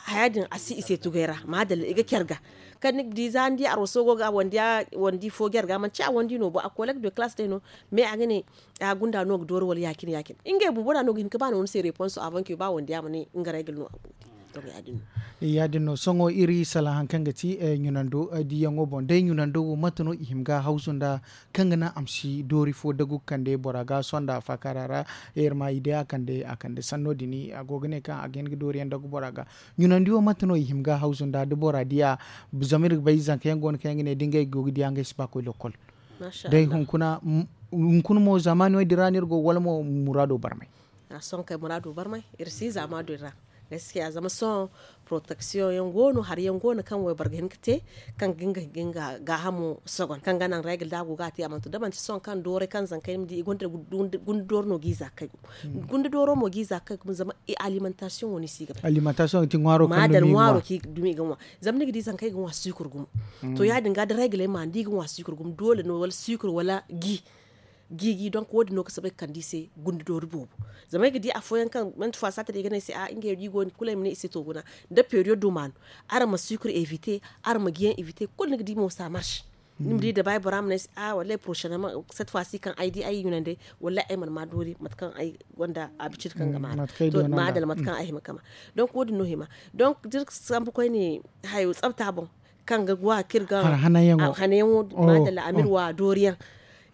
haya din a si i se tugay ra maadalla i ga care ga. Kaŋ ni ga di za ni di arwaso go ga wandi fo jare ga manti a wandi no bo a kolek de kalaas day no. Mais a ga ne a gunda no ga doori wala ya- cine ya- cine ngey bumbo no a no ga hin ga ba no ni se reponso a banke ba wandi ya ma ne nga regle no a go. Ya- din no sohõ iri salaŋ haŋ kaŋ ga ti ɲunando diyaŋo boŋ day ɲunando wo mate no i hima ga hawzu nda kaŋ ga naŋ a ma si doori fo dagu ga kande bora ga sonda faakaara ra. Iri ma i day a kande a kande sanno din a go ga ne kaŋ a ga hin ga doori yaŋ dagu bora ga. Ɲunandi wo mate no i hima ga hawzu nda da bora di a zama iri ga bay zanka yaŋ go no kaŋ yaŋ ga ne da ngey go ga di a ngey si ba koy lokkol. Day hunkuna hunkuna mo zaamaani wo- din ra no iri go wala mo muraado barmay. A sohõ kay muraado barmay iri si zaamaado din ra. Gaskiya zama sohõ poroteksiyoŋ yaŋ go no hari yaŋ go no kaŋ wayboro ga hin ga te kaŋ ga nga gaahamo sogon kaŋ ga naŋ regle da a go ga a te a mana to da manti sohõ kaŋ dooray kaŋ zankey ni ma di i gonda dooro no ga i za ga kay gumo. Gunda dooro mo ga i za ga kay gumo zama i alimantasiyoŋ wo no i si ga bay. Alimantasiyoŋ ga ti ŋwaaro kaŋ dumi i ga ŋwa. Zama ni ga di zankey ga ŋwa sukur gumo. To ya- din ga da regle ma ni di i ga ŋwa sukur gumo doole no wala sukur wala gi. Gi gi donk wo- din no ga soobay ga kande i se gunde doori boobo. Zama ay ga di afooyaŋ kaŋ manti faasa te da i ga ne ay se a ngey wo da i go no kulu ay ma ne i se to guna. Da periyodo ma no araŋ ma sukur evite, araŋ ma giyaŋ evite kulu ni ga di mo sa marse. Ni ma di dabaay bora ma ne ay se a wallahi porosenemaŋ, cette fois si kaŋ ay di ay yunanday wallahi ay mana ma doori mate kaŋ ay gonda abicid kaŋ ga ma a ra. To maadala mate kaŋ ay hima ga ma. Donk wo- din no hima. Donk da iri ga sambu koyne hayo tsabta boŋ kaŋ ga gwa kaŋ iri ga hanayaŋo maadala amir wa dooriyaŋ.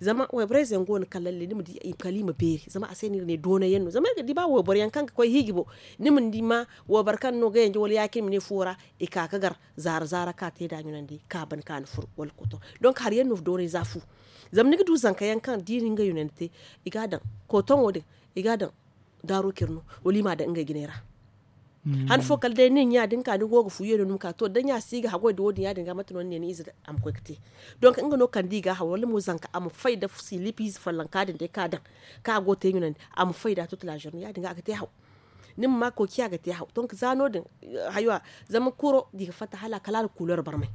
Zama wayborey ze yaŋ go no kala lalle ni ma di kala i ma beeri zama a se no iri ne doonay yaŋ no zama iri ga di ba wayboro yaŋ kaŋ ga koy hiiji boŋ. Ni ma ni di ma wayboro kaŋ no ga yanje wala ya- cine ma ne fuwo ra i ka ga gar zaara zaara ka te nd'a ɲunandi ka ban ka ni furo wala kotoŋ. Donk hari yaŋ no doonay za fu. Zama ni ga du zanka yaŋ kaŋ da i na nga ɲunandi te i ga a daŋ kotoŋo din i ga a daŋ daaro care no wala i m'a daŋ ngey jinay ra. Han fo kala day nin ɲa da ni ka ni go ga fuye no ni ma ka to da ɲa si ga haggoy da wo- din ya- din ga mate no ni ne ni ize a ma koy ga te. Donk nga no kala da i ga a haw wala mo zanka a ma fay da silipiize follonka din day kaŋ a daŋ kaŋ a go ga te ɲunandi a ma fay da toute la journée ya- din ga a ga te haw. Ni ma ma kookiya ga te haw donk za no- din hayo a zama kuro da i ga fatta hala kala a na kuleer barmay.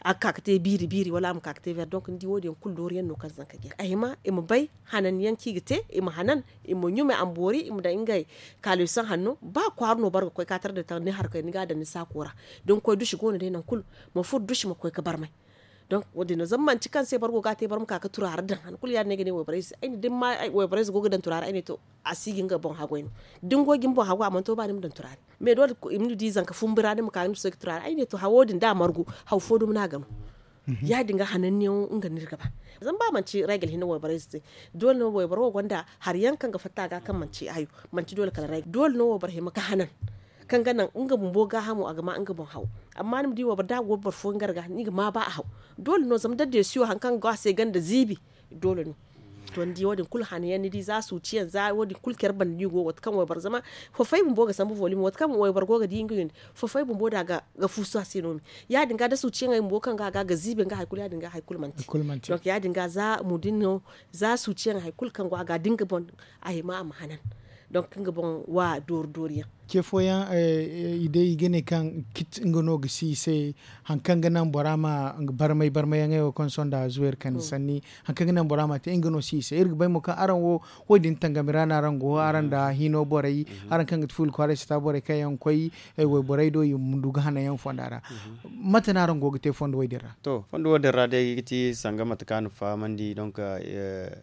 A ga ka ga te biiri biiri wala a ma ka ga te ver donk ni di wo- din yaŋ kulu doori yaŋ no kaŋ zanka ga a hima i ma bay hanan yaŋ kaŋ i ga te i ma hanan i ma ɲumay a ma boori i ma daŋ ngey kaaliyosaŋ hanno ba kwaara no boro ga koy ka tara da taŋ ni harkey ni ga a daŋ ni saako ra. Da ni koy dusi go no day nangu kulu ma furo dusi ma koy ga barmay. Donk wo- din no zama manti kaŋ se boro go ga a te boro ma ka ga turaari daŋ han kulu ya- din no ay ga ne wayborey se ay ne da ni ma wayborey se go ga daŋ turaari ay ne to, a si ga nga boŋ haggoy no. Da ni go ga ni boŋ haggoy a mana to ba ni ma daŋ turaari. Mais doole i ma ni di zanka fumbi ra ni ma ka ga ni ma soy ga turaari ay ne to hawo din da a margu, haw fo dumi no a ga no. Ya- din ga hananniyaŋo nga no iri ga ba. Zama ba manti regal hinne wayborey se te, doole no wayboro wo gonda hari yaŋ kaŋ ga fatta a ga kaŋ manti hayo. Manti doole kala regal doole no wayboro hima ga hanan, kaŋ ga naŋ nga bumbo gaahamo a ga ma nga boŋ haw. Amma ni ma di wayboro da a go boro fooyaŋ gar ga ni ga ma ba a haw. Doole no zama da deesiyo hari kaŋ ga go a se ganda ziibi. Doole no. To ni di wo- din kulu hanayaŋ ni di za suuciyaŋ za wo- din kulu care banda no i go waati kaŋ wayboro zama fafay bumbo ga sambu volimo waati kaŋ wayboro go ga di nga windi, fafay bumbo da ga fuusu a se no me. Ya- din ga da suuciyaŋey bumbo kaŋ go a ga ga ziibi nga hari kulu ya- din ga hari kulu manti. Donk ya- din ga za mudin no, za suuciyaŋ hari kulu kaŋ go a ga da nga boŋ a hima a ma hanan. Donk nga boŋ wa doori doori yaŋ. Ce fooyaŋ i day i ga ne kaŋ kit nga no ga si i se hari kaŋ ga naŋ bora ma barmay barmay yaŋey wo kaŋ sonda zuwayri kande sanni, hari kaŋ ga naŋ bora ma te nga no si i se iri ga bay mo kaŋ araŋ wo, wo- din tangami ra no araŋ go araŋ nda hino borey, araŋ kaŋ ga ti fuula kwaaray sata borey kaŋ yaŋ koy wayborey do i ma du ga hanayaŋ fonda ra. Mate no araŋ go ga te fondo wo- din ra? To fondo wo- din ra day ga ti sanga mate kaŋ a na fahamandi donk,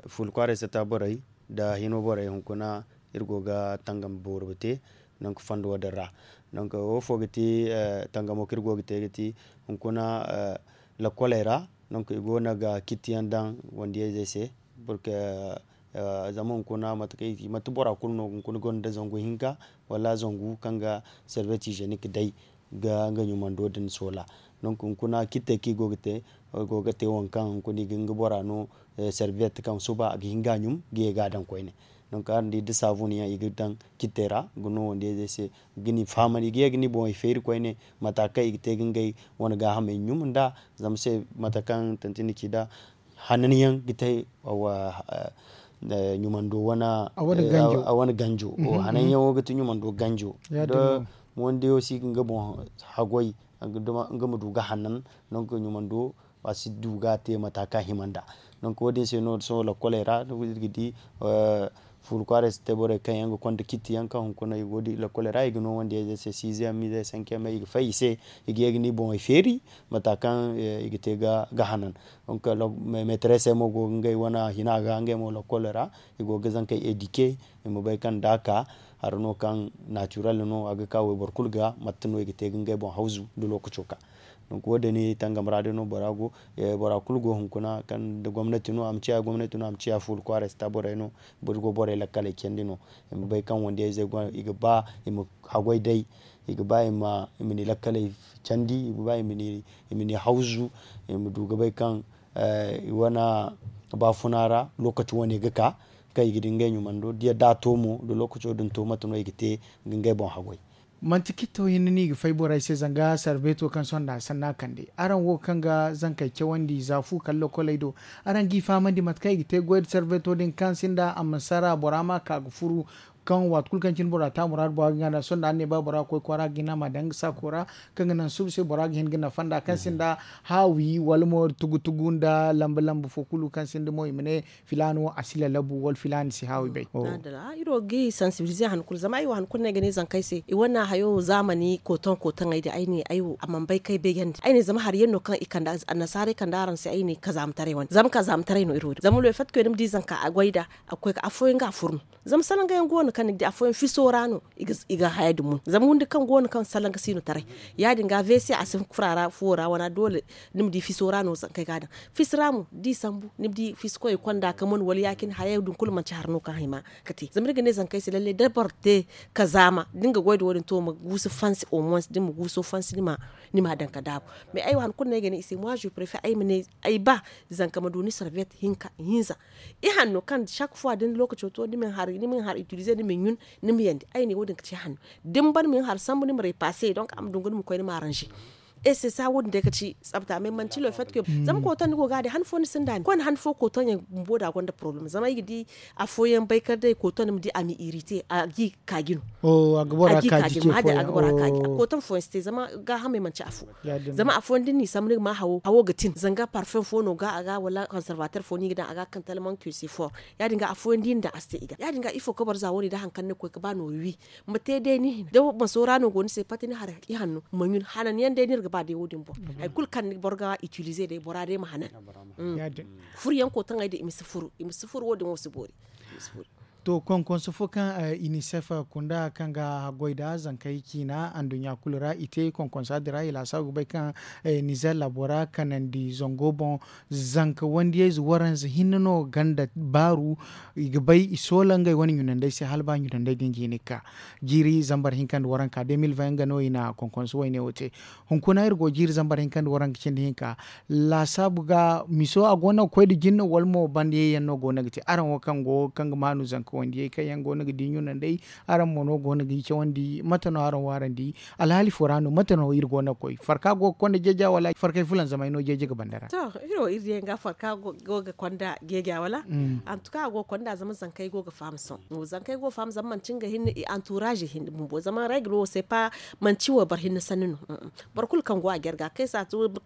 fuula kwaaray sata borey nda hino borey hunkuna, iri go ga tangam boori ga te. Donk fondo wo- din ra, donk wo fo ga ti tangamo kaŋ iri go ga te ga ti hunkuna lakoley ra. Donk i go no ga kitti yaŋ daŋ wandiyayzey se. Zama hunkuna mate kaŋ i ga ti manti bora kulu no hunkuna gonda zangu hinka, wala zangu kaŋ ga servet hygienique day ga nga ɲumando din soola. Donk hunkuna kittey kaŋ i go ga te, i go ga te waŋ kaŋ hunkuna i ga nga bora no, servet kaŋ suba a ga hin ga a ɲum ga ye ga a daŋ koyne. Donk araŋ di da saabun yaŋ i ga daŋ kittey ra ga no wandiyayzey se, ga ni fahamandi i ga ye ga ni boŋey feeri koyne, mata kaŋ i ga te ga ngey wane gaahamey ɲum nd'a. Zama se mata kaŋ tanti ni ci nd'a, hanan yaŋ ga te ɲumando wane ganjo. Hanan yaŋo ga ti ɲumando ganjo. Da moondiyo si ga nga boŋ haggoy, nga ma du ga hanan. Donk ɲumando a si du ga a te mata kaŋ a hima nd'a. Donk wo- din se no sohõ lakoley ra iri ga di fuula kwaaray si te borey kaŋ yaŋ ga konda kitti yaŋ kaŋ hunkuna i go ga di lakoley ra i ga no wandiyayzey se siizey yaŋ miizey sanke yaŋ me i ga fay i se, i ga ye ga ni boŋey feeri mata kaŋ i ga te ga hanan. Donk meeteresey mo go ga ngey wane hina ga ngey mo lakoley ra, i go ga zankey edike, i ma bay kaŋ da a ka hari no kaŋ naatirel no a ga ka wayboro kulu ga mate no i ga te ga ngey boŋ hawzu da lookaco ka. Donk wo- din tangam ra day no bora go, bora kulu go hunkuna kaŋ da gomnati no a ma ciya gomnati no a ma ciya fuula kwaaray sata borey no. Boro go borey lakkaley candi no, i ma bay kaŋ wandiyayzey go i ga ba i ma haggoy day, i ga ba i ma ni lakkaley candi, i ga ba i ma ni hawzu, i ma du ga bay kaŋ i wane baafuna ra lookaci wane ga ka, kaŋ i ga di ngey ɲumando da a to mo da lookaco din to mate no i ga te ga ngey boŋ haggoy. Manti kitto hinne no i ga fay borey se zanga sarbeeto kaŋ sohõ nda a sanna kande araŋ wo kaŋ ga zankey cawandi za fu kala lokoley do, araŋ g'i fahamandi mate kaŋ i ga te goy nda sarbeeto din kaŋ sinda a ma sara bora ma ka ga furu, kaŋ waati kulu kaŋ cine bora te a muraadu bora ga hin ga naŋ sohõ nda araŋ ne ba bora ga koy kwaara ga hin a ma daŋ nga saako ra, kaŋ ga naŋ suba se bora ga hin ga nafa nd'a kaŋ sinda haawi wala mo tugu tugu nda lambu lambu fo kulu kaŋ sinda mo i ma ne filaana wo a si lalabu wala filaana si haawi bay. Iri wo ga i sansibilize han kulu zama ay wo han kulu no ay ga ne zankey se i wane hayo zaamani kootaŋ kootaŋey din ay ne ay wo a mana bay kaŋ ay beejandi ay ne zama hari yaŋ no kaŋ i kande annasaarey kande araŋ se ay ne kazaamataray wane zama kazaamataray no iri wo din zama loofat koy ni ma di zanka a goy nd'a a ga koy ga afooyaŋ ga a fur no. Zama salanga yaŋ go no kaŋ ni ga di afooyaŋ fiso ra no i ga haya din mun zama windi kaŋ go no kaŋ salanga si no taray. Ya- din ga wc a si fura ra fuwo ra wana doole ni ma di fiso ra no zankey ga a daŋ. Fisi ra mo da i sambu ni ma di fisi koyey konda ka mun wala ya- cine hayey din kulu manti hari no kaŋ hima ga te zama ni ga ne zankey se lallay da boro te kazaama da ni ga goy nda wo- din to ma guusu fansi au moins da ni ma guuso fansi ni ma daŋ ka daabu. Mais ay wo han kulu no ay ga ne i se moi je préfère ay ma ne ay ba zanka ma du ni sarbet hinka ihinza. Ihanno kaŋ chaque fois da ni lookaco to ni ma ni har utiliser ni ma ni ɲun, ni ma yandi ay ne wo- din ga ci ihanno. Da ni ban ma ni har sambu ni ma repasse donc a ma dungu ni ma koy ni ma arranger. Et c'est ça wo- din day ga ci tsabta mais manti le fait que zama kootaŋ ni go ga a day han fo ni sinda a ni koy ni han fo kootaŋ yaŋ bumbo da a gonda problème zama ay ga di afooyaŋ bay kala day kootaŋ ni ma di a ma irriter a ga i kaaji no. A ga bora kaaji ma hadin a ga bora kaaji kootaŋ fooyaŋ si te zama gaahamey manti afo. Zama afooyaŋ da ni n'i sambu ni ga ma hawo hawo ga tin zanga parfum fo no ga a ga wala conservateur fo no i ga daŋ a ga kaŋ tellement que c'est fort. Ya- din ga afooyaŋ da i na daŋ a si te i ga ya- din ga ifo ga boro za wo- ne da hari kaŋ ni ga koy ga ba noori wi ma te day ni hina da maso ra no go ni se pati ni har ihanno ma ɲun hanan yaŋ day no iri ga ba day wo- din boŋ. Hari kulu kaŋ boro ga itilize day bora day ma hanan. Furo yaŋ kotaŋey din i ma si furu i ma si furu wo- din wo si boori. To konkonso fo kaŋ inisef kunda kaŋ ga haggoy nda zankey ciina anduɲɲa kulu ra i te konkonsa din ra i laasaabu ga bay kaŋ nizer laabo ra kanandi zango boŋ. Zanka wandiyayze waranza hinne no ganda baaru. I ga bay i soola ngey wane ɲunandey se hala ba ɲunandey din ga hin ga ka jiiri zambar hinka nda waranka de mil vaŋ yaŋ ga no i na konkonso wayne wo te. Hunkuna iri go jiiri zambar hinka nda waranka cindi hinka laasaabu ga miso a go no ga koy nda jinne wala mo banda yayyaŋ no go no ga te araŋ wo kaŋ go kaŋ ga maanu zanka wandiyey kaŋ yaŋ go no ga di ɲunandey. Araŋ mo no go no ga i cawandi mate no araŋ wo araŋ di? Alhaali fo ra no mate no iri go no ga koy farka go ga konda jeeja wala farkay fulanzamay no jeeje ga banda ra? To iri wo iri diyaŋ ga farka go ga konda jeeja wala? Antuka a go ga konda zama zankey go ga faham sohõ. Zankey go ga faham zama manti nga hinne anturaaze hinne bumbo zama reglo wo se pa manti wayboro hinne sanni no. Boro kulu kaŋ go a jare ga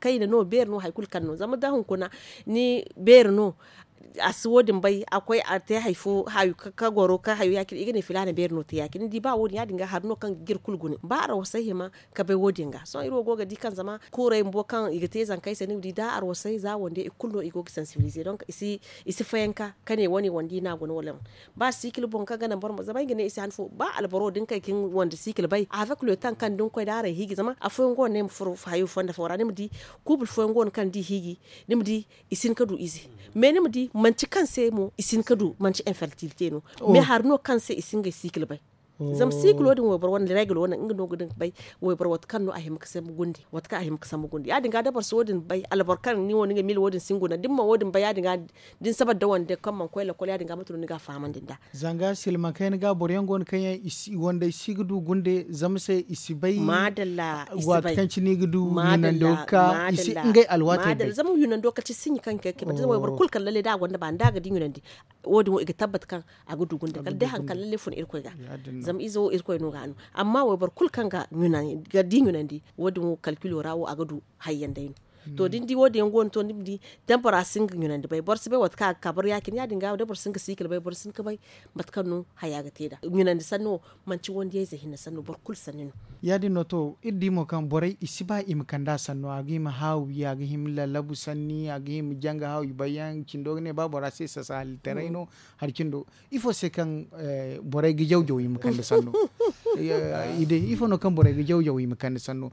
kayna no beeri no hari kulu kaŋ no zama da hunkuna ni beeri no. A si wo- din bay a koy a te hari fo hayo ka goro ka hayo ya- cine i ga ne filaana beeri no te ya- cine ni di ba wo- din ya- din ga hari no kaŋ ga jire kulu gune ba arwasay hima. Ka bay wo- din ga sohõ iri wo go ga di kaŋ zama kuuray bumbo kaŋ i ga te zankey se ni ma di da arwasay za wande i kulu no i go ga sansibilize donk i si fayanka ka ne wane wande i no a guna wala. Ba sikil boŋ kaŋ ga naŋ boro ma zama ay ga ne i se han fo ba alboro da ni kay ka ni wande sikil bay avec le temps kaŋ da ni koy da araŋ hiiji zama afooyaŋ go no ay ma furo hayo fonda fo ra ni ma di. Kuubul fooyaŋ go no kaŋ da i hiiji ni ma di i si hin ka du ize. Mais ni ma di manti kaŋ se mo i si hin ka du manti infertilité no. Mais hari no kaŋ se i si ngey sikil bay. Zama sikilo din wayboro wane reglo wane nga no ga din ga bay wayboro waati kaŋ no a hima ga sambu gunde waati kaŋ a hima ga sambu gunde ya- din ga da boro si wo- din bay alboro kaŋ ni wo ni ga mil wo- din si ni guna da ni ma wo- din bay ya- din ga da ni sabar da wande kaŋ mana koy lakkol ya- din ga mate no ni ga a fahamandi nd'a. Zanga silmaŋ kayna ga boro yaŋ go no kaŋ yaŋ i si wande i si ga du gunde zama se i si bay. Maadalla. Waati kaŋ cine i ga du ɲunando ga ka i si ngey alwaatey bay. Zama ɲunando kala ci sinji kaŋ ga kay kay boro kulu kaŋ lalle da a gonda ba ni da a ga di ɲunandi. Wo- din wo i ga tabbat kaŋ a ga du gunde kala day hari kaŋ lalle fun irkoy ga. Zama ize wo irkoy no ga a no. Amma wayboro kulu kaŋ ga di ɲunandi wo- din wo kalkilo ra wo a ga du hayyaŋ day no. To da ni di wo- din yaŋ go no to ni ma di da bora si nga ɲunandi bay boro si bay waati kaŋ a ga ka boro ya- cine ya- din ga da boro si nga sikil bay boro si hin ka bay. Mate kaŋ no haya ga te nd'a ɲunandi sanni wo manti wandiyayze hinne sanno boro kulu sanni no. Ya- din no to iri di mo kaŋ borey i si ba i ma kand'a sanno a ga hima haawi a ga hima lallabu sanni a ga hima janga haawi bayyaŋ cindo ga ne ba bora se sasa halittaray no. Hari cindo ifo se kaŋ borey ga jaw-jaw i ma kande sanno? I day ifo no kaŋ borey ga jaw-jaw i ma kande sanno?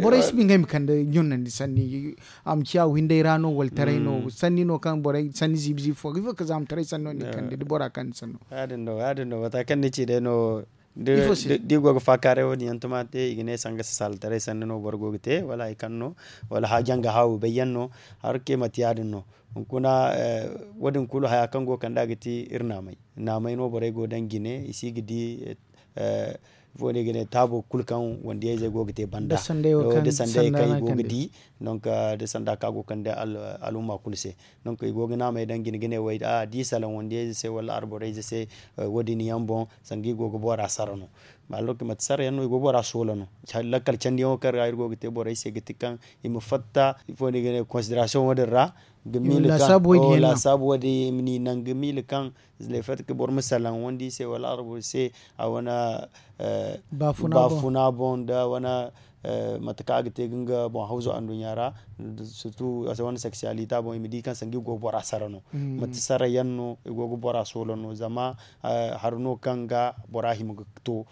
Borey si ba ngey ma kande ɲunandi sanni a ma ciya windey ra no wala taray no sanni no kaŋ borey sanni ziibi-ziibi fo ga ifo ga za ma taray sanno ni kande da bora kande sanno? Ya- din no ya- din no mata kaŋ ni ci day no. Da i go ga faakaaray wo- din yaŋ tuma te i ga ne sanga sasaalataray sanni no boro go ga te wala hari kaŋ no wala janga haawi bayyaŋ no. Har ke mate ya- din no hunkuna wo- din kulu haya kaŋ go ga kand'a ga ti iri naamay. Naamay no borey go daŋ jine i si ga di ifo no i ga ne taabo kulu kaŋ wandiyayzey go ga te banda da sanday kaŋ i go ga di. Donk da sanda kaŋ a go ga kande alumma kulu se. Donk i go ga naamey daŋ jine ga ne way da a di salaŋ wandiyayze se wala alborayze se. Wo- din yaŋ boŋ sanga i go ga bora sara no. Mate sara yaŋ no i go ga bora soola no. Lakkal candiyaŋo kaŋ ra iri go ga te borey se ga ti kaŋ i ma fatta ifo no i ga ne konsiderasiyoŋ wo- din ra. Ga miila kaŋ laasaabu wo- din i ma ni naŋ ga miila kaŋ le fait que boro ma salaŋ wandi se wala arabu se a wane baafuna boŋ da wane mate kaŋ a ga te ga nga boŋ hawzo anduɲɲa ra. Surtout a se wane sexualité boŋ i ma di kaŋ sangu i go ga bora sara no. Mate sara yaŋ no i go ga bora soola no zama hari no kaŋ ga bora hima ga to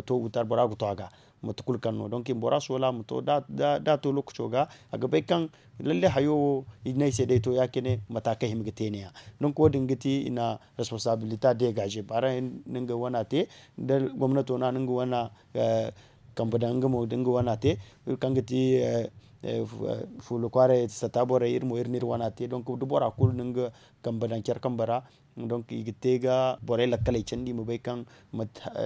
to wutar bora ga to a ga. Mate kulu kaŋ no donc i ma bora soola ma to da a to lookaco ga a ga bay kaŋ lalle hayo wo i ne ay se day to ya- cine mata kaŋ hima ga te ne- ya. Donc wo- din ga ti i na responsabilité dégager baara yaŋ na nga wana te da gomnato no a na nga wana kambe daŋ nga mo da nga wana te. Kaŋ ga ti fuula kwaaray sata borey iri mo iri na iri wana te donc da bora kulu na nga kambe daŋ care kambe ra. Donc i ga te ga borey lakkaley candi i ma bay kaŋ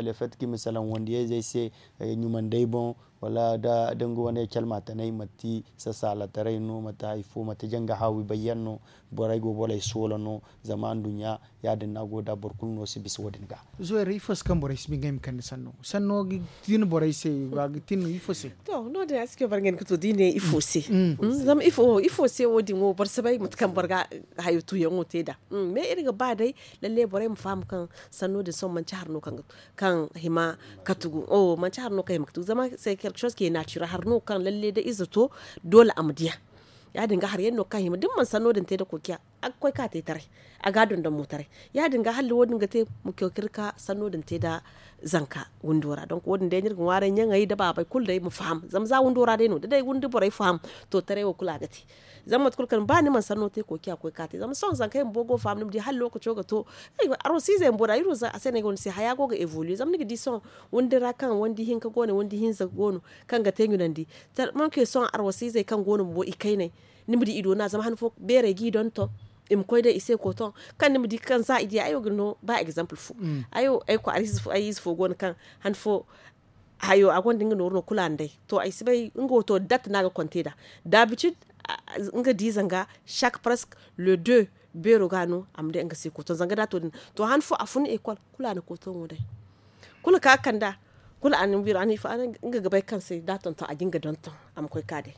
le fait que i ma salaŋ wandiyayzey se ɲumandey boŋ wala da nga wane calma tanay mate sasaalataray no mate hari fo mate janga haawi bayyaŋ no. Borey go borey soola no zama anduɲɲa ya- din no a go da boro kulu no si bisa wo- din ga. Zoyra ifo se kaŋ borey si ba ngey ma kande sanno sanno ga tin borey se a ga tin ifo se? To no- din a si koy boro ngey ga to da i ne ifo se. Zama ifo se wo- din wo boro si bay mate kaŋ boro ga hayo tuyaŋo. Te da. Mais iri ga ba day lalle borey ma faham kaŋ sanno din sohõ manci hari no kaŋ hima ka tugu. Manci hari no kaŋ hima ka tugu zama se quelque chose ke nature hari no kaŋ lalle da ize to, doole a ma diya. Ya- din ga hari yaŋ no kaŋ hima da ni mana sanno din te da kokiya, a ga koy ka te taray, a ga a dondon mo taray. Ya- din ga hala wo- din ga te, ma koy ka iri ka sanno din te da zanka windo ra donk wo- din day no iri ga ŋwaaray ɲaŋey da baabey kulu day ma faham zama za windo ra day no da day windi borey faham, to taray wo kulu a ga te. Zama mate kulu kaŋ ba ni mana sanno te kokiya koy ka te zama sohõ zankey bumbo go ga faham ni ma di hala lokaco ga to. Arwasiizey bumbo da iri wo za a se no ay go ni se haya go ga evoluer zama ni ga di sohõ, windi ra kaŋ windi hinka go no windi hinza go no, kaŋ ga te ɲunandi. Tellement que sohõ arwasiizey kaŋ go no bumbo ikayney, ni ma di i doona zama han fo beerey g'i donton, i ma koy day i se koton, kaŋ ni ma di kaŋ za i di ay wo ga ni no ba exemple fo. Ay wo ay kwaara ize fo go no kaŋ han fo hayo a gonda nga nooru no kulu a na day. To ay si bay nga wo to date no a ga konte nd'a, d'habitude nga di zanga chaque presque le deux beero ga no a ma day nga se koton zanga da to din. To han fo a fun école kulu a na koton wo day. Kulu ka kand'a, kulu a na biro a na ifo nga ga bay kaŋ se da tonton a ga nga donton, a ma koy ka day.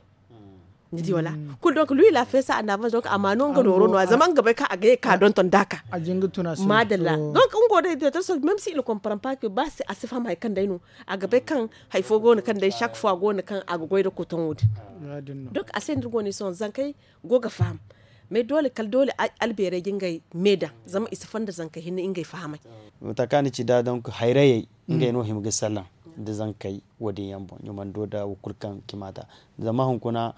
Ni di wala? Kulu donc lui la fesa a na a ma no nga nooro no zama nga ga bay kaŋ a ga ye ka donton da ka. Maadalla. Donc nga wo day directeur sol même si il comprend pas que ba a si faham hari kaŋ day no, a ga bay kaŋ hari fo go no kaŋ day chaque fois go no kaŋ a ga goy nda koton wo- din. Donc a se no iri go no sohõ zankey go ga faham. Mais doole kala doole albeerey ga ngey me daŋ, zama i si fonda zankey hinne ngey fahamay. Mate kaŋ a na ci nd'a donc hayrayey, ngey no hima ga salaŋ nda zankey wo- din yaŋ boŋ ɲumando nda wo kulu kaŋ cima nd'a. Zama hunkuna,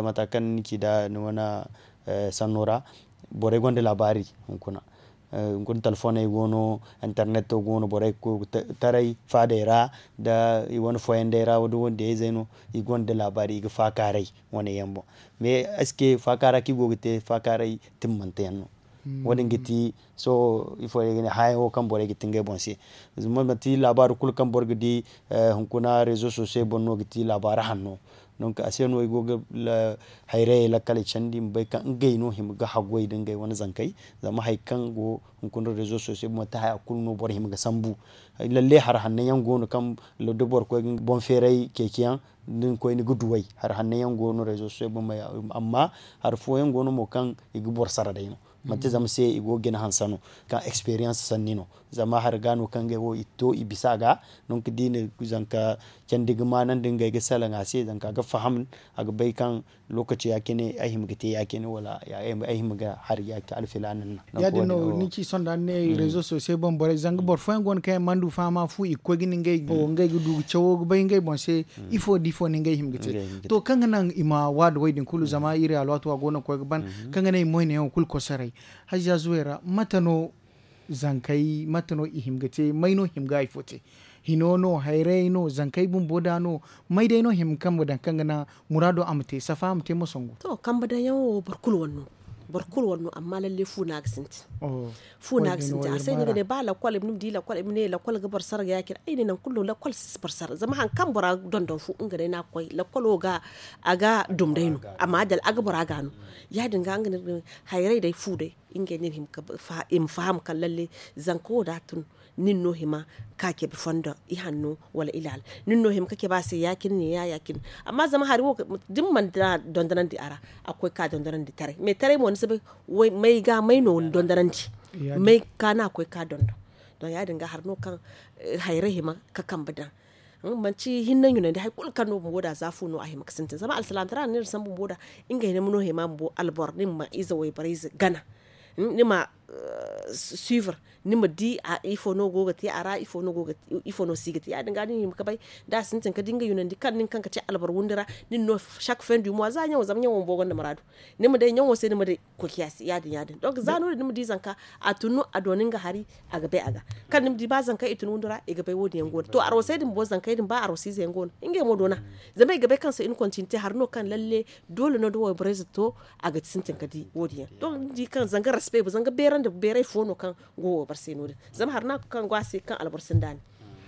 mate kaŋ ni ci nd'a ni wane sanno ra, borey gonda laabaari hunkuna. Hunkuna telefoney go no, interneto go no borey ga koy ga taray faadey ra, nda i wane foyandey ra da wandiyayzey no, i gonda laabaari i ga faakaaray wane yaŋ boŋ. Mais est ce que faakaara kaŋ i go ga te faakaaray timmante yaŋ no? Wo- din ga ti sohõ ifo day ga ne haya wo kaŋ borey ga ti ngey boŋ se. Zama manti laabaari kulu kaŋ boro ga di hunkuna rezo sosiyey boŋ no ga ti laabaari hanno. Donc a se no i go ga hayrayey lakkaley candi i ma bay kaŋ ngey no hima ga haggoy nda ngey wane zankey. Zama hari kaŋ go hunkuna rezo sosiyey boŋ manti haya kulu no boro hima ga sambu. Lalle hari hanno yaŋ go no kaŋ da boro koy ga boŋ feeray ceeci yaŋ, da ni koy ni ga duw'ey hari hanno yaŋ go no rezo sosiyey boŋ. Amma hari fooyaŋ go no mo kaŋ i ga boro sara day no. Manti zama se i go ga jina hanse no kaŋ experience sanni no. Zama hari ga no kaŋ ngey wo i to i bisa a ga. Donc da i na zanka candi ga maanandi ngey ga salaŋ a se zanka ga faham, a ga bay kaŋ lokaci ya- cine ay hima ga te ya- cine wala ay hima ga hari ya- cine alfilaana no. Ya- din no ni ci sohõ da ni ne rezo sosiyey boŋ borey zanga boro fooyaŋ go no kaŋ yaŋ mana du fahama fu i ga koy ga ne ngey ga du ga cawo ga bay ngey boŋ se. Ifo da ifo no ngey hima ga te? To kaŋ ga naŋ i ma waadu wo- din kulu zama iri alwaati wo a go no ga koy ga ban. Kaŋ ga naŋ i ma wayne yaŋo kulu kosoray. Hajja zuway ra mate no zankey mate no i hima ga te may no hima ga hari fo te? Hino no hayrayey no zankey bumbo da no? May day no hima ga kambe daŋ kaŋ ga naŋ muraado a ma te safa a ma te moso nga wo. To kambe daŋ yaŋo boro kulu wane no. Boro kulu wane no amma lalle fu no a ga sintin. Fu no a ga sintin a se no i ga ne ba lakkol i ma ne lakkol i ma ne lakkol ga boro sara ga ya- cine ay ne nangu kulu no lakkol si boro sara zama hari kaŋ bora ga dondon fu nga day no a ga koy lakkolo ga a ga dum day no. Amma a dala a ga bora ga no. Ya- din ga nga ne hayray day fu day ngey no iri hima ga i ma faham kaŋ lalle zanka wo da a tun nin no hima ka cabe fondo ihanno wala ilaala. Nin no hima ka cabe a se ya- cine ne ya- ya- cine. Amma zama hari wo da ni mana dondonandi a ra a ga koy ka dondonandi taray mais taray mo ni si bay may ga may no ni dondonandi may ga no a ga koy ka dondon. Don ya- din ga hari no kaŋ hayray hima ka kambe daŋ. Manti hinne ɲunandi hari kulu kaŋ no bumbo da za fu no a hima ga sintin zama alsilaamataray no iri sambu bumbo da. Ngey no hima bumbo alboro ni ma ize wayborey ize gana ni ma suivre ni ma di ifo no go ga te a ra ifo no si ga te ya- din ga ni hima ga bay da a sintin ka di nga yunandi kaŋ nin kaŋ ga te alboro windi ra nin no chaque fin du mois za ɲaŋo zama ɲaŋo bumbo gonda muraadu. Ni ma day ɲaŋo se ni ma day kokiya se ya- din ya- din donc za no- din ni ma di zanka a tun no a dooni nga hari a ga bay a ga kaŋ ni ma di ba zankey i tun windi ra i ga bay wo- din yaŋ go no to arwasey din bumbo zankey din ba arwasiizey yaŋ go no ngey mo doona. Zama i ga bay kaŋ se i na kontinite hari no kaŋ lalle doole no da wayborey ize to a ga sintin ka di wo- din yaŋ donc ni di kaŋ zanga respect zanga beerandi beeray fo no kaŋ go wayboro se no- din zama hari no a ga kaŋ go a se kaŋ alboro sinda ne.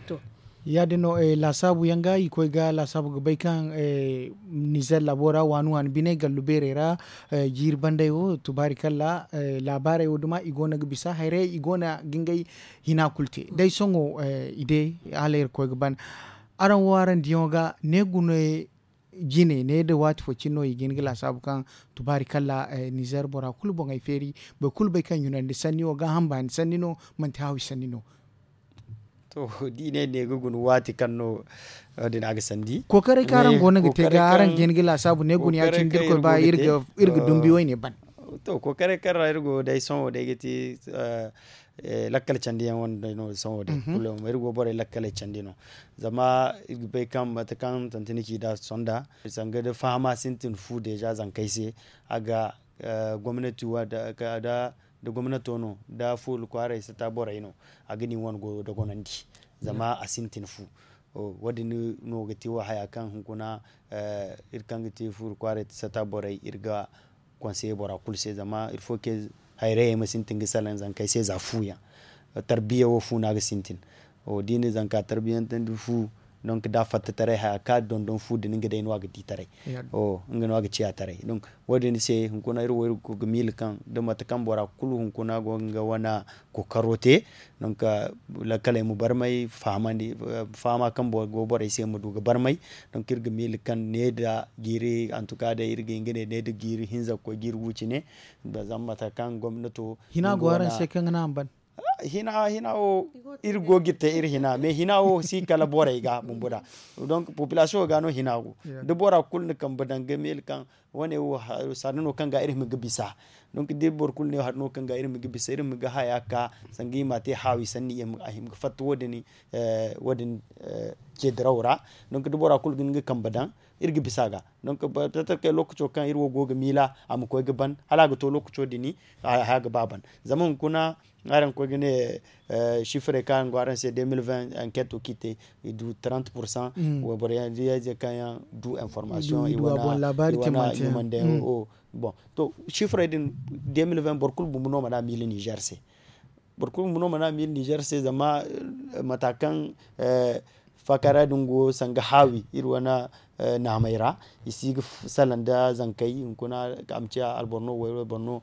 To ya- din no laasaabu yaŋ ga i koy ga laasaabu ga bay kaŋ nizer laabo ra waani waani biney gallu beerey ra jiiri banday wo tubaari kalla laabaarey wo duma i go no ga bisa hayray i go no ga ngey hina kulu te day sohõ i de hala iri koy ga ban. Araŋ wo araŋ diyaŋo ga ne gune Jine ne da waati fo cine no i ga hin ga laasaabu kaŋ tubaari kala nizeer bora kulu boŋey feeri. Boro kulu bay kaŋ ɲunandi sanni wo gaaham baani sanni no. Manti haawi sanni no. To da i ne ne ga guna waati kaŋ no din a ga sandi. Kookaray kaŋ araŋ go no ga te ga araŋ ga hin ga laasaabu ne guna ya- cine da irkoy ba iri ga dumbi wayne ban. To kookaray kaŋ ra iri go day sohõ day ga te lakkal candi yaŋ wane day no sohõ day. Iri go borey lakkaley candi no. Zama iri ga bay kaŋ mate kaŋ tanti ni ci da sonda sanga da fahama sintin fu deeza zankey se. A ga gomnati da gomnato no da fuula kwaaray sata borey no. A ga ni wane goyo dogonandi zama a sintin fu. Wo- din no ga te wo haya kaŋ hunkuna iri kaŋ ga te fuula kwaaray sata borey iri ga konseye bora kulu se zama iri fo ke hayrayey ma sintin ga salaŋ zankey se za fu yaŋ. Tarbiya wo fu no a ga sintin. Da i na zanka tarbiyantandi fu donk da a fatta taray haya kaŋ a dondon fu din nga day no a ga di taray. Nga no a ga ciya taray donk wo- din se hunkuna iri wo iri go ga miila kaŋ da mate kaŋ bora kulu hunkuna go ga nga wane kookaro te. Donk lakkaley ma barmay fahamandi fahama kaŋ go borey se ma du ga barmay. Donk iri ga miila kaŋ ne da jiiri antuka day iri ga hin ga ne ne da jiiri hinza ga koy jiiri gu cine. Zama mate kaŋ gomnato hina go araŋ se kaŋ ga naŋ a ma ban. Hina wo iri go ga iri te iri hina mais hina wo si kala borey ga bumbo da. Donk populasiyoŋo ga no hina go da bora kulu na kambe daŋ ga miila kaŋ wane wo hari no kaŋ ga iri hima ga bisa. Donk da boro kulu ne hari no kaŋ ga iri hima ga bisa iri hima ga haya ka sanga i ma te haawi sanni a hima ga fatta wo- din ce diraw ra. Donk da bora kulu ga hin ga kambe daŋ iri ga bisa a ga. Donk ba tatta kay lookaco kaŋ iri wo go ga miila a ma koy ga ban hala a ga to lookaco din haya ga ba ban. Zama hunkuna araŋ ga koy ga ne sifirey kaŋ araŋ go araŋ se deux mille vingt enquête wo kaŋ i te i du trente pourcent wayboro yaŋ da yaŋ ize kaŋ yaŋ du information i wane ɲumandey. Bon to sifirey din deux mille vingt boro kulu bumbo no mana miila nizer se. Boro kulu bumbo no mana miila nizer se zama mata kaŋ faakara din go sanga haawi iri wane naamey ra i si ga salaŋ nda zankey hunkuna a ma ciya alboro no wayboro no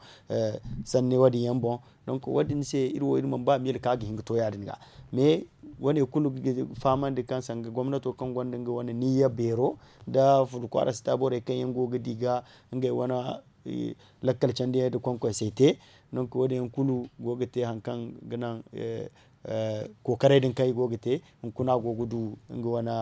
sanni wo- din yaŋ boŋ. Donk wo- din se iri wo iri mana ba miila kaŋ a ga hin ga to ya- din ga mais wane kulu ga fahamandi kaŋ sanga gomnato kaŋ gonda nga wane niyya beero nda furkwaara sita borey kaŋ yaŋ go ga di ga ngey wane lakkal candiyaŋ nda konkoysey te. Donk wo- din yaŋ kulu go ga te hari kaŋ ga naŋ kookaray din kaŋ i go ga te hunkuna a go ga du nga wane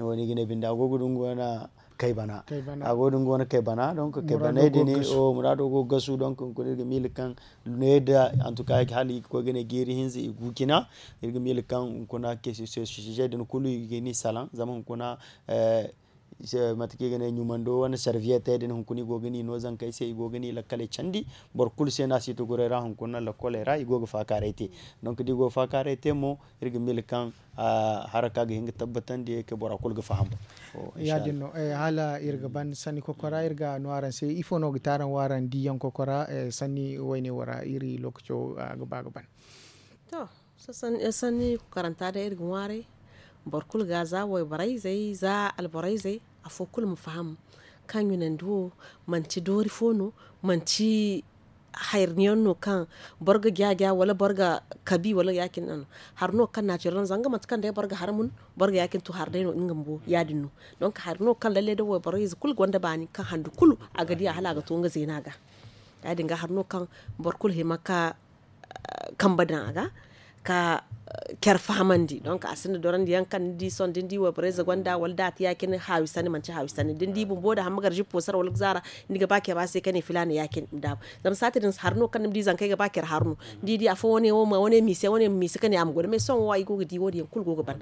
wane i ga ne binde a go ga du nga wane kay bana. A go ga du nga wane kay bana donk kay baney din muraado go ga gasu donk hunkuna iri ga miila kaŋ ne da antuka hala i ga koy ga ne jiiri hinza i gu cina. Iri ga miila kaŋ hunkuna sijey din kulu i ga ni salaŋ zama hunkuna mate kaŋ i ga ne ɲumando wane sarviyetey din hunkuna i go ga ni no zankey se i go ga ni lakkaley candi. Boro kulu se no a si tuguray ra hunkuna lakkoley ra i go ga faakaaray te. Donk da i go ga faakaaray te mo iri ga miila kaŋ haraka ga hin ga tabbatandi kay bora kulu ga faham. Ya- din no hala iri ga ban sanni kokora iri ga no araŋ se ifo no ga te araŋ wo araŋ diiyaŋ kokora sanni wayne wo ra iri lookaco ga ba ga ban. To sanni kokoranta day iri ga ŋwaaray boro kulu ga za wayborey zey za alborey zey afo kulu ma faham kaŋ ɲunandi wo manti doori fo no manti hayri yaŋ no kaŋ boro ga jaaja wala boro ga kabi wala ya- cine no. Hari no kaŋ naatirel no zanga mate kaŋ day boro ga hari mun boro ga ya- cine to hari day no nga bumbo ya- din no. Donk hari no kaŋ lalle day wayboro ize kulu gonda baani kaŋ handu kulu a ga diya hala a ga to nga zeena ga. Ya- din ga hari no kaŋ boro kulu hima ka kambe daŋ a ga ka care fahamandi donk a sinda dorandi yaŋ kaŋ ni di sohõ da ni di wayboro ize gonda wala da a te ya- cine haawi sanni manti haawi sanni da ni di bumbo da hamma gar zippo sara wala ga zaara ni ga ba care a se ka ne filaana ya- cine ma daabu. Zama saati din hari no kaŋ ni ma di zankey ga ba care hari no ni di afo wane wo ma wane miise wane ma miise ka ne a ma goy da mais sohõ wo i go ga di wo- din yaŋ kulu go ga ban.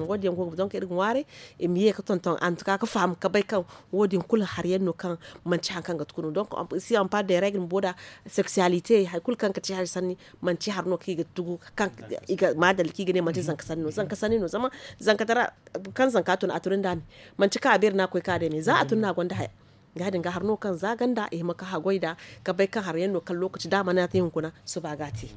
Wo- din yaŋ go ga ban donk iri ga ŋwaaray i ma ye ga tonton antuka ga faham ga bay kaŋ wo- din kulu hari yaŋ no kaŋ manti hari kaŋ ga tukunu donk si a ma par de règle bumbo da sexualité hari kulu kaŋ ga te hari sanni manti hari no kaŋ i ga tugu kaŋ i ga ma dalla kaŋ i ga ne manti zanka sanni no zanka sanni no zama zanka tara kaŋ zanka tun a tun nda me manti kaŋ a beeri no a ga koy ka day me za a tun no a gonda haya. Ya- din ga hari no kaŋ za ganda i hima ka haggoy nd'a ka bay kaŋ hari yaŋ no kaŋ lookaci da a mana te hunkuna suba ga a te.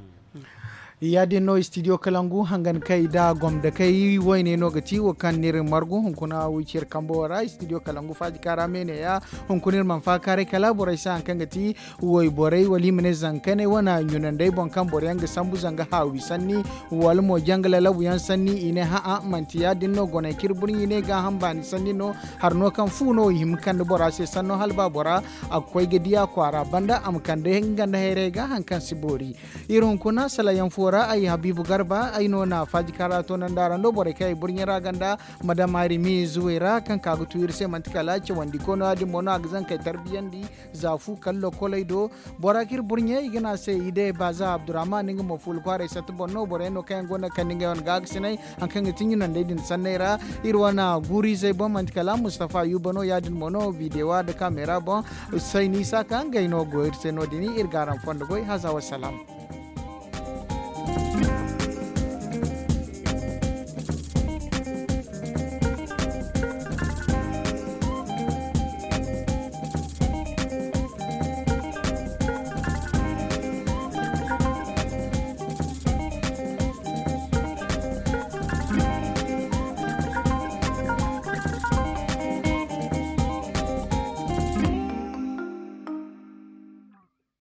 Ya-din no studio kalangu hangan kay da gomdakay wayne no ga ti wo kaŋ n'iri margu hunkuna wicir kambo ra studio kalangu faaji kaara me ne ya. Hunkuna iri mana faakaaray kala borey se haŋ kaŋ ga ti wayborey wala i ma ne zankaney wane ɲunandey boŋ kaŋ boro yaŋ ga sambu zanga haawi sanni wala mo janga lalabu yaŋ sanni i ne ha'a manti ya-din no goney kaŋ iri burɲi ne gaaham baani sanni no. Hari no kaŋ fu no i hima kande bora se sanno hala ba bora a ga koy ga di a kwaara banda a ma kande nga nda hayrey ga haŋ kaŋ si boori. Iri hunkuna salayaŋ fo ra ay habiibu garba ay no na faaji kaara toonandi araŋ do borey kaŋ ay burɲey ra ganda madam arimi zuwey ra kaŋ ka ga tu iri se manti kala cawandi koy no ya-din mo no a ga zankey tarbiyandi. Za fu kala lokoley do bora kaŋ iri burɲey i ga ne a se i day baaza abdurrahman nga mo fuula kwaaray satta boŋ no boro yaŋ no kaŋ yaŋ go no ga kande ngey wane gaagasinay haŋ kaŋ ga ti ɲunandey din sanney ra. Iri wane guuru izey boŋ manti kala mustafa yuba no ya-din mo no videwa nda kameera boŋ. Sayni isa ka ngey no go iri se no- din iri ga araŋ fondo goy haza wassalaam.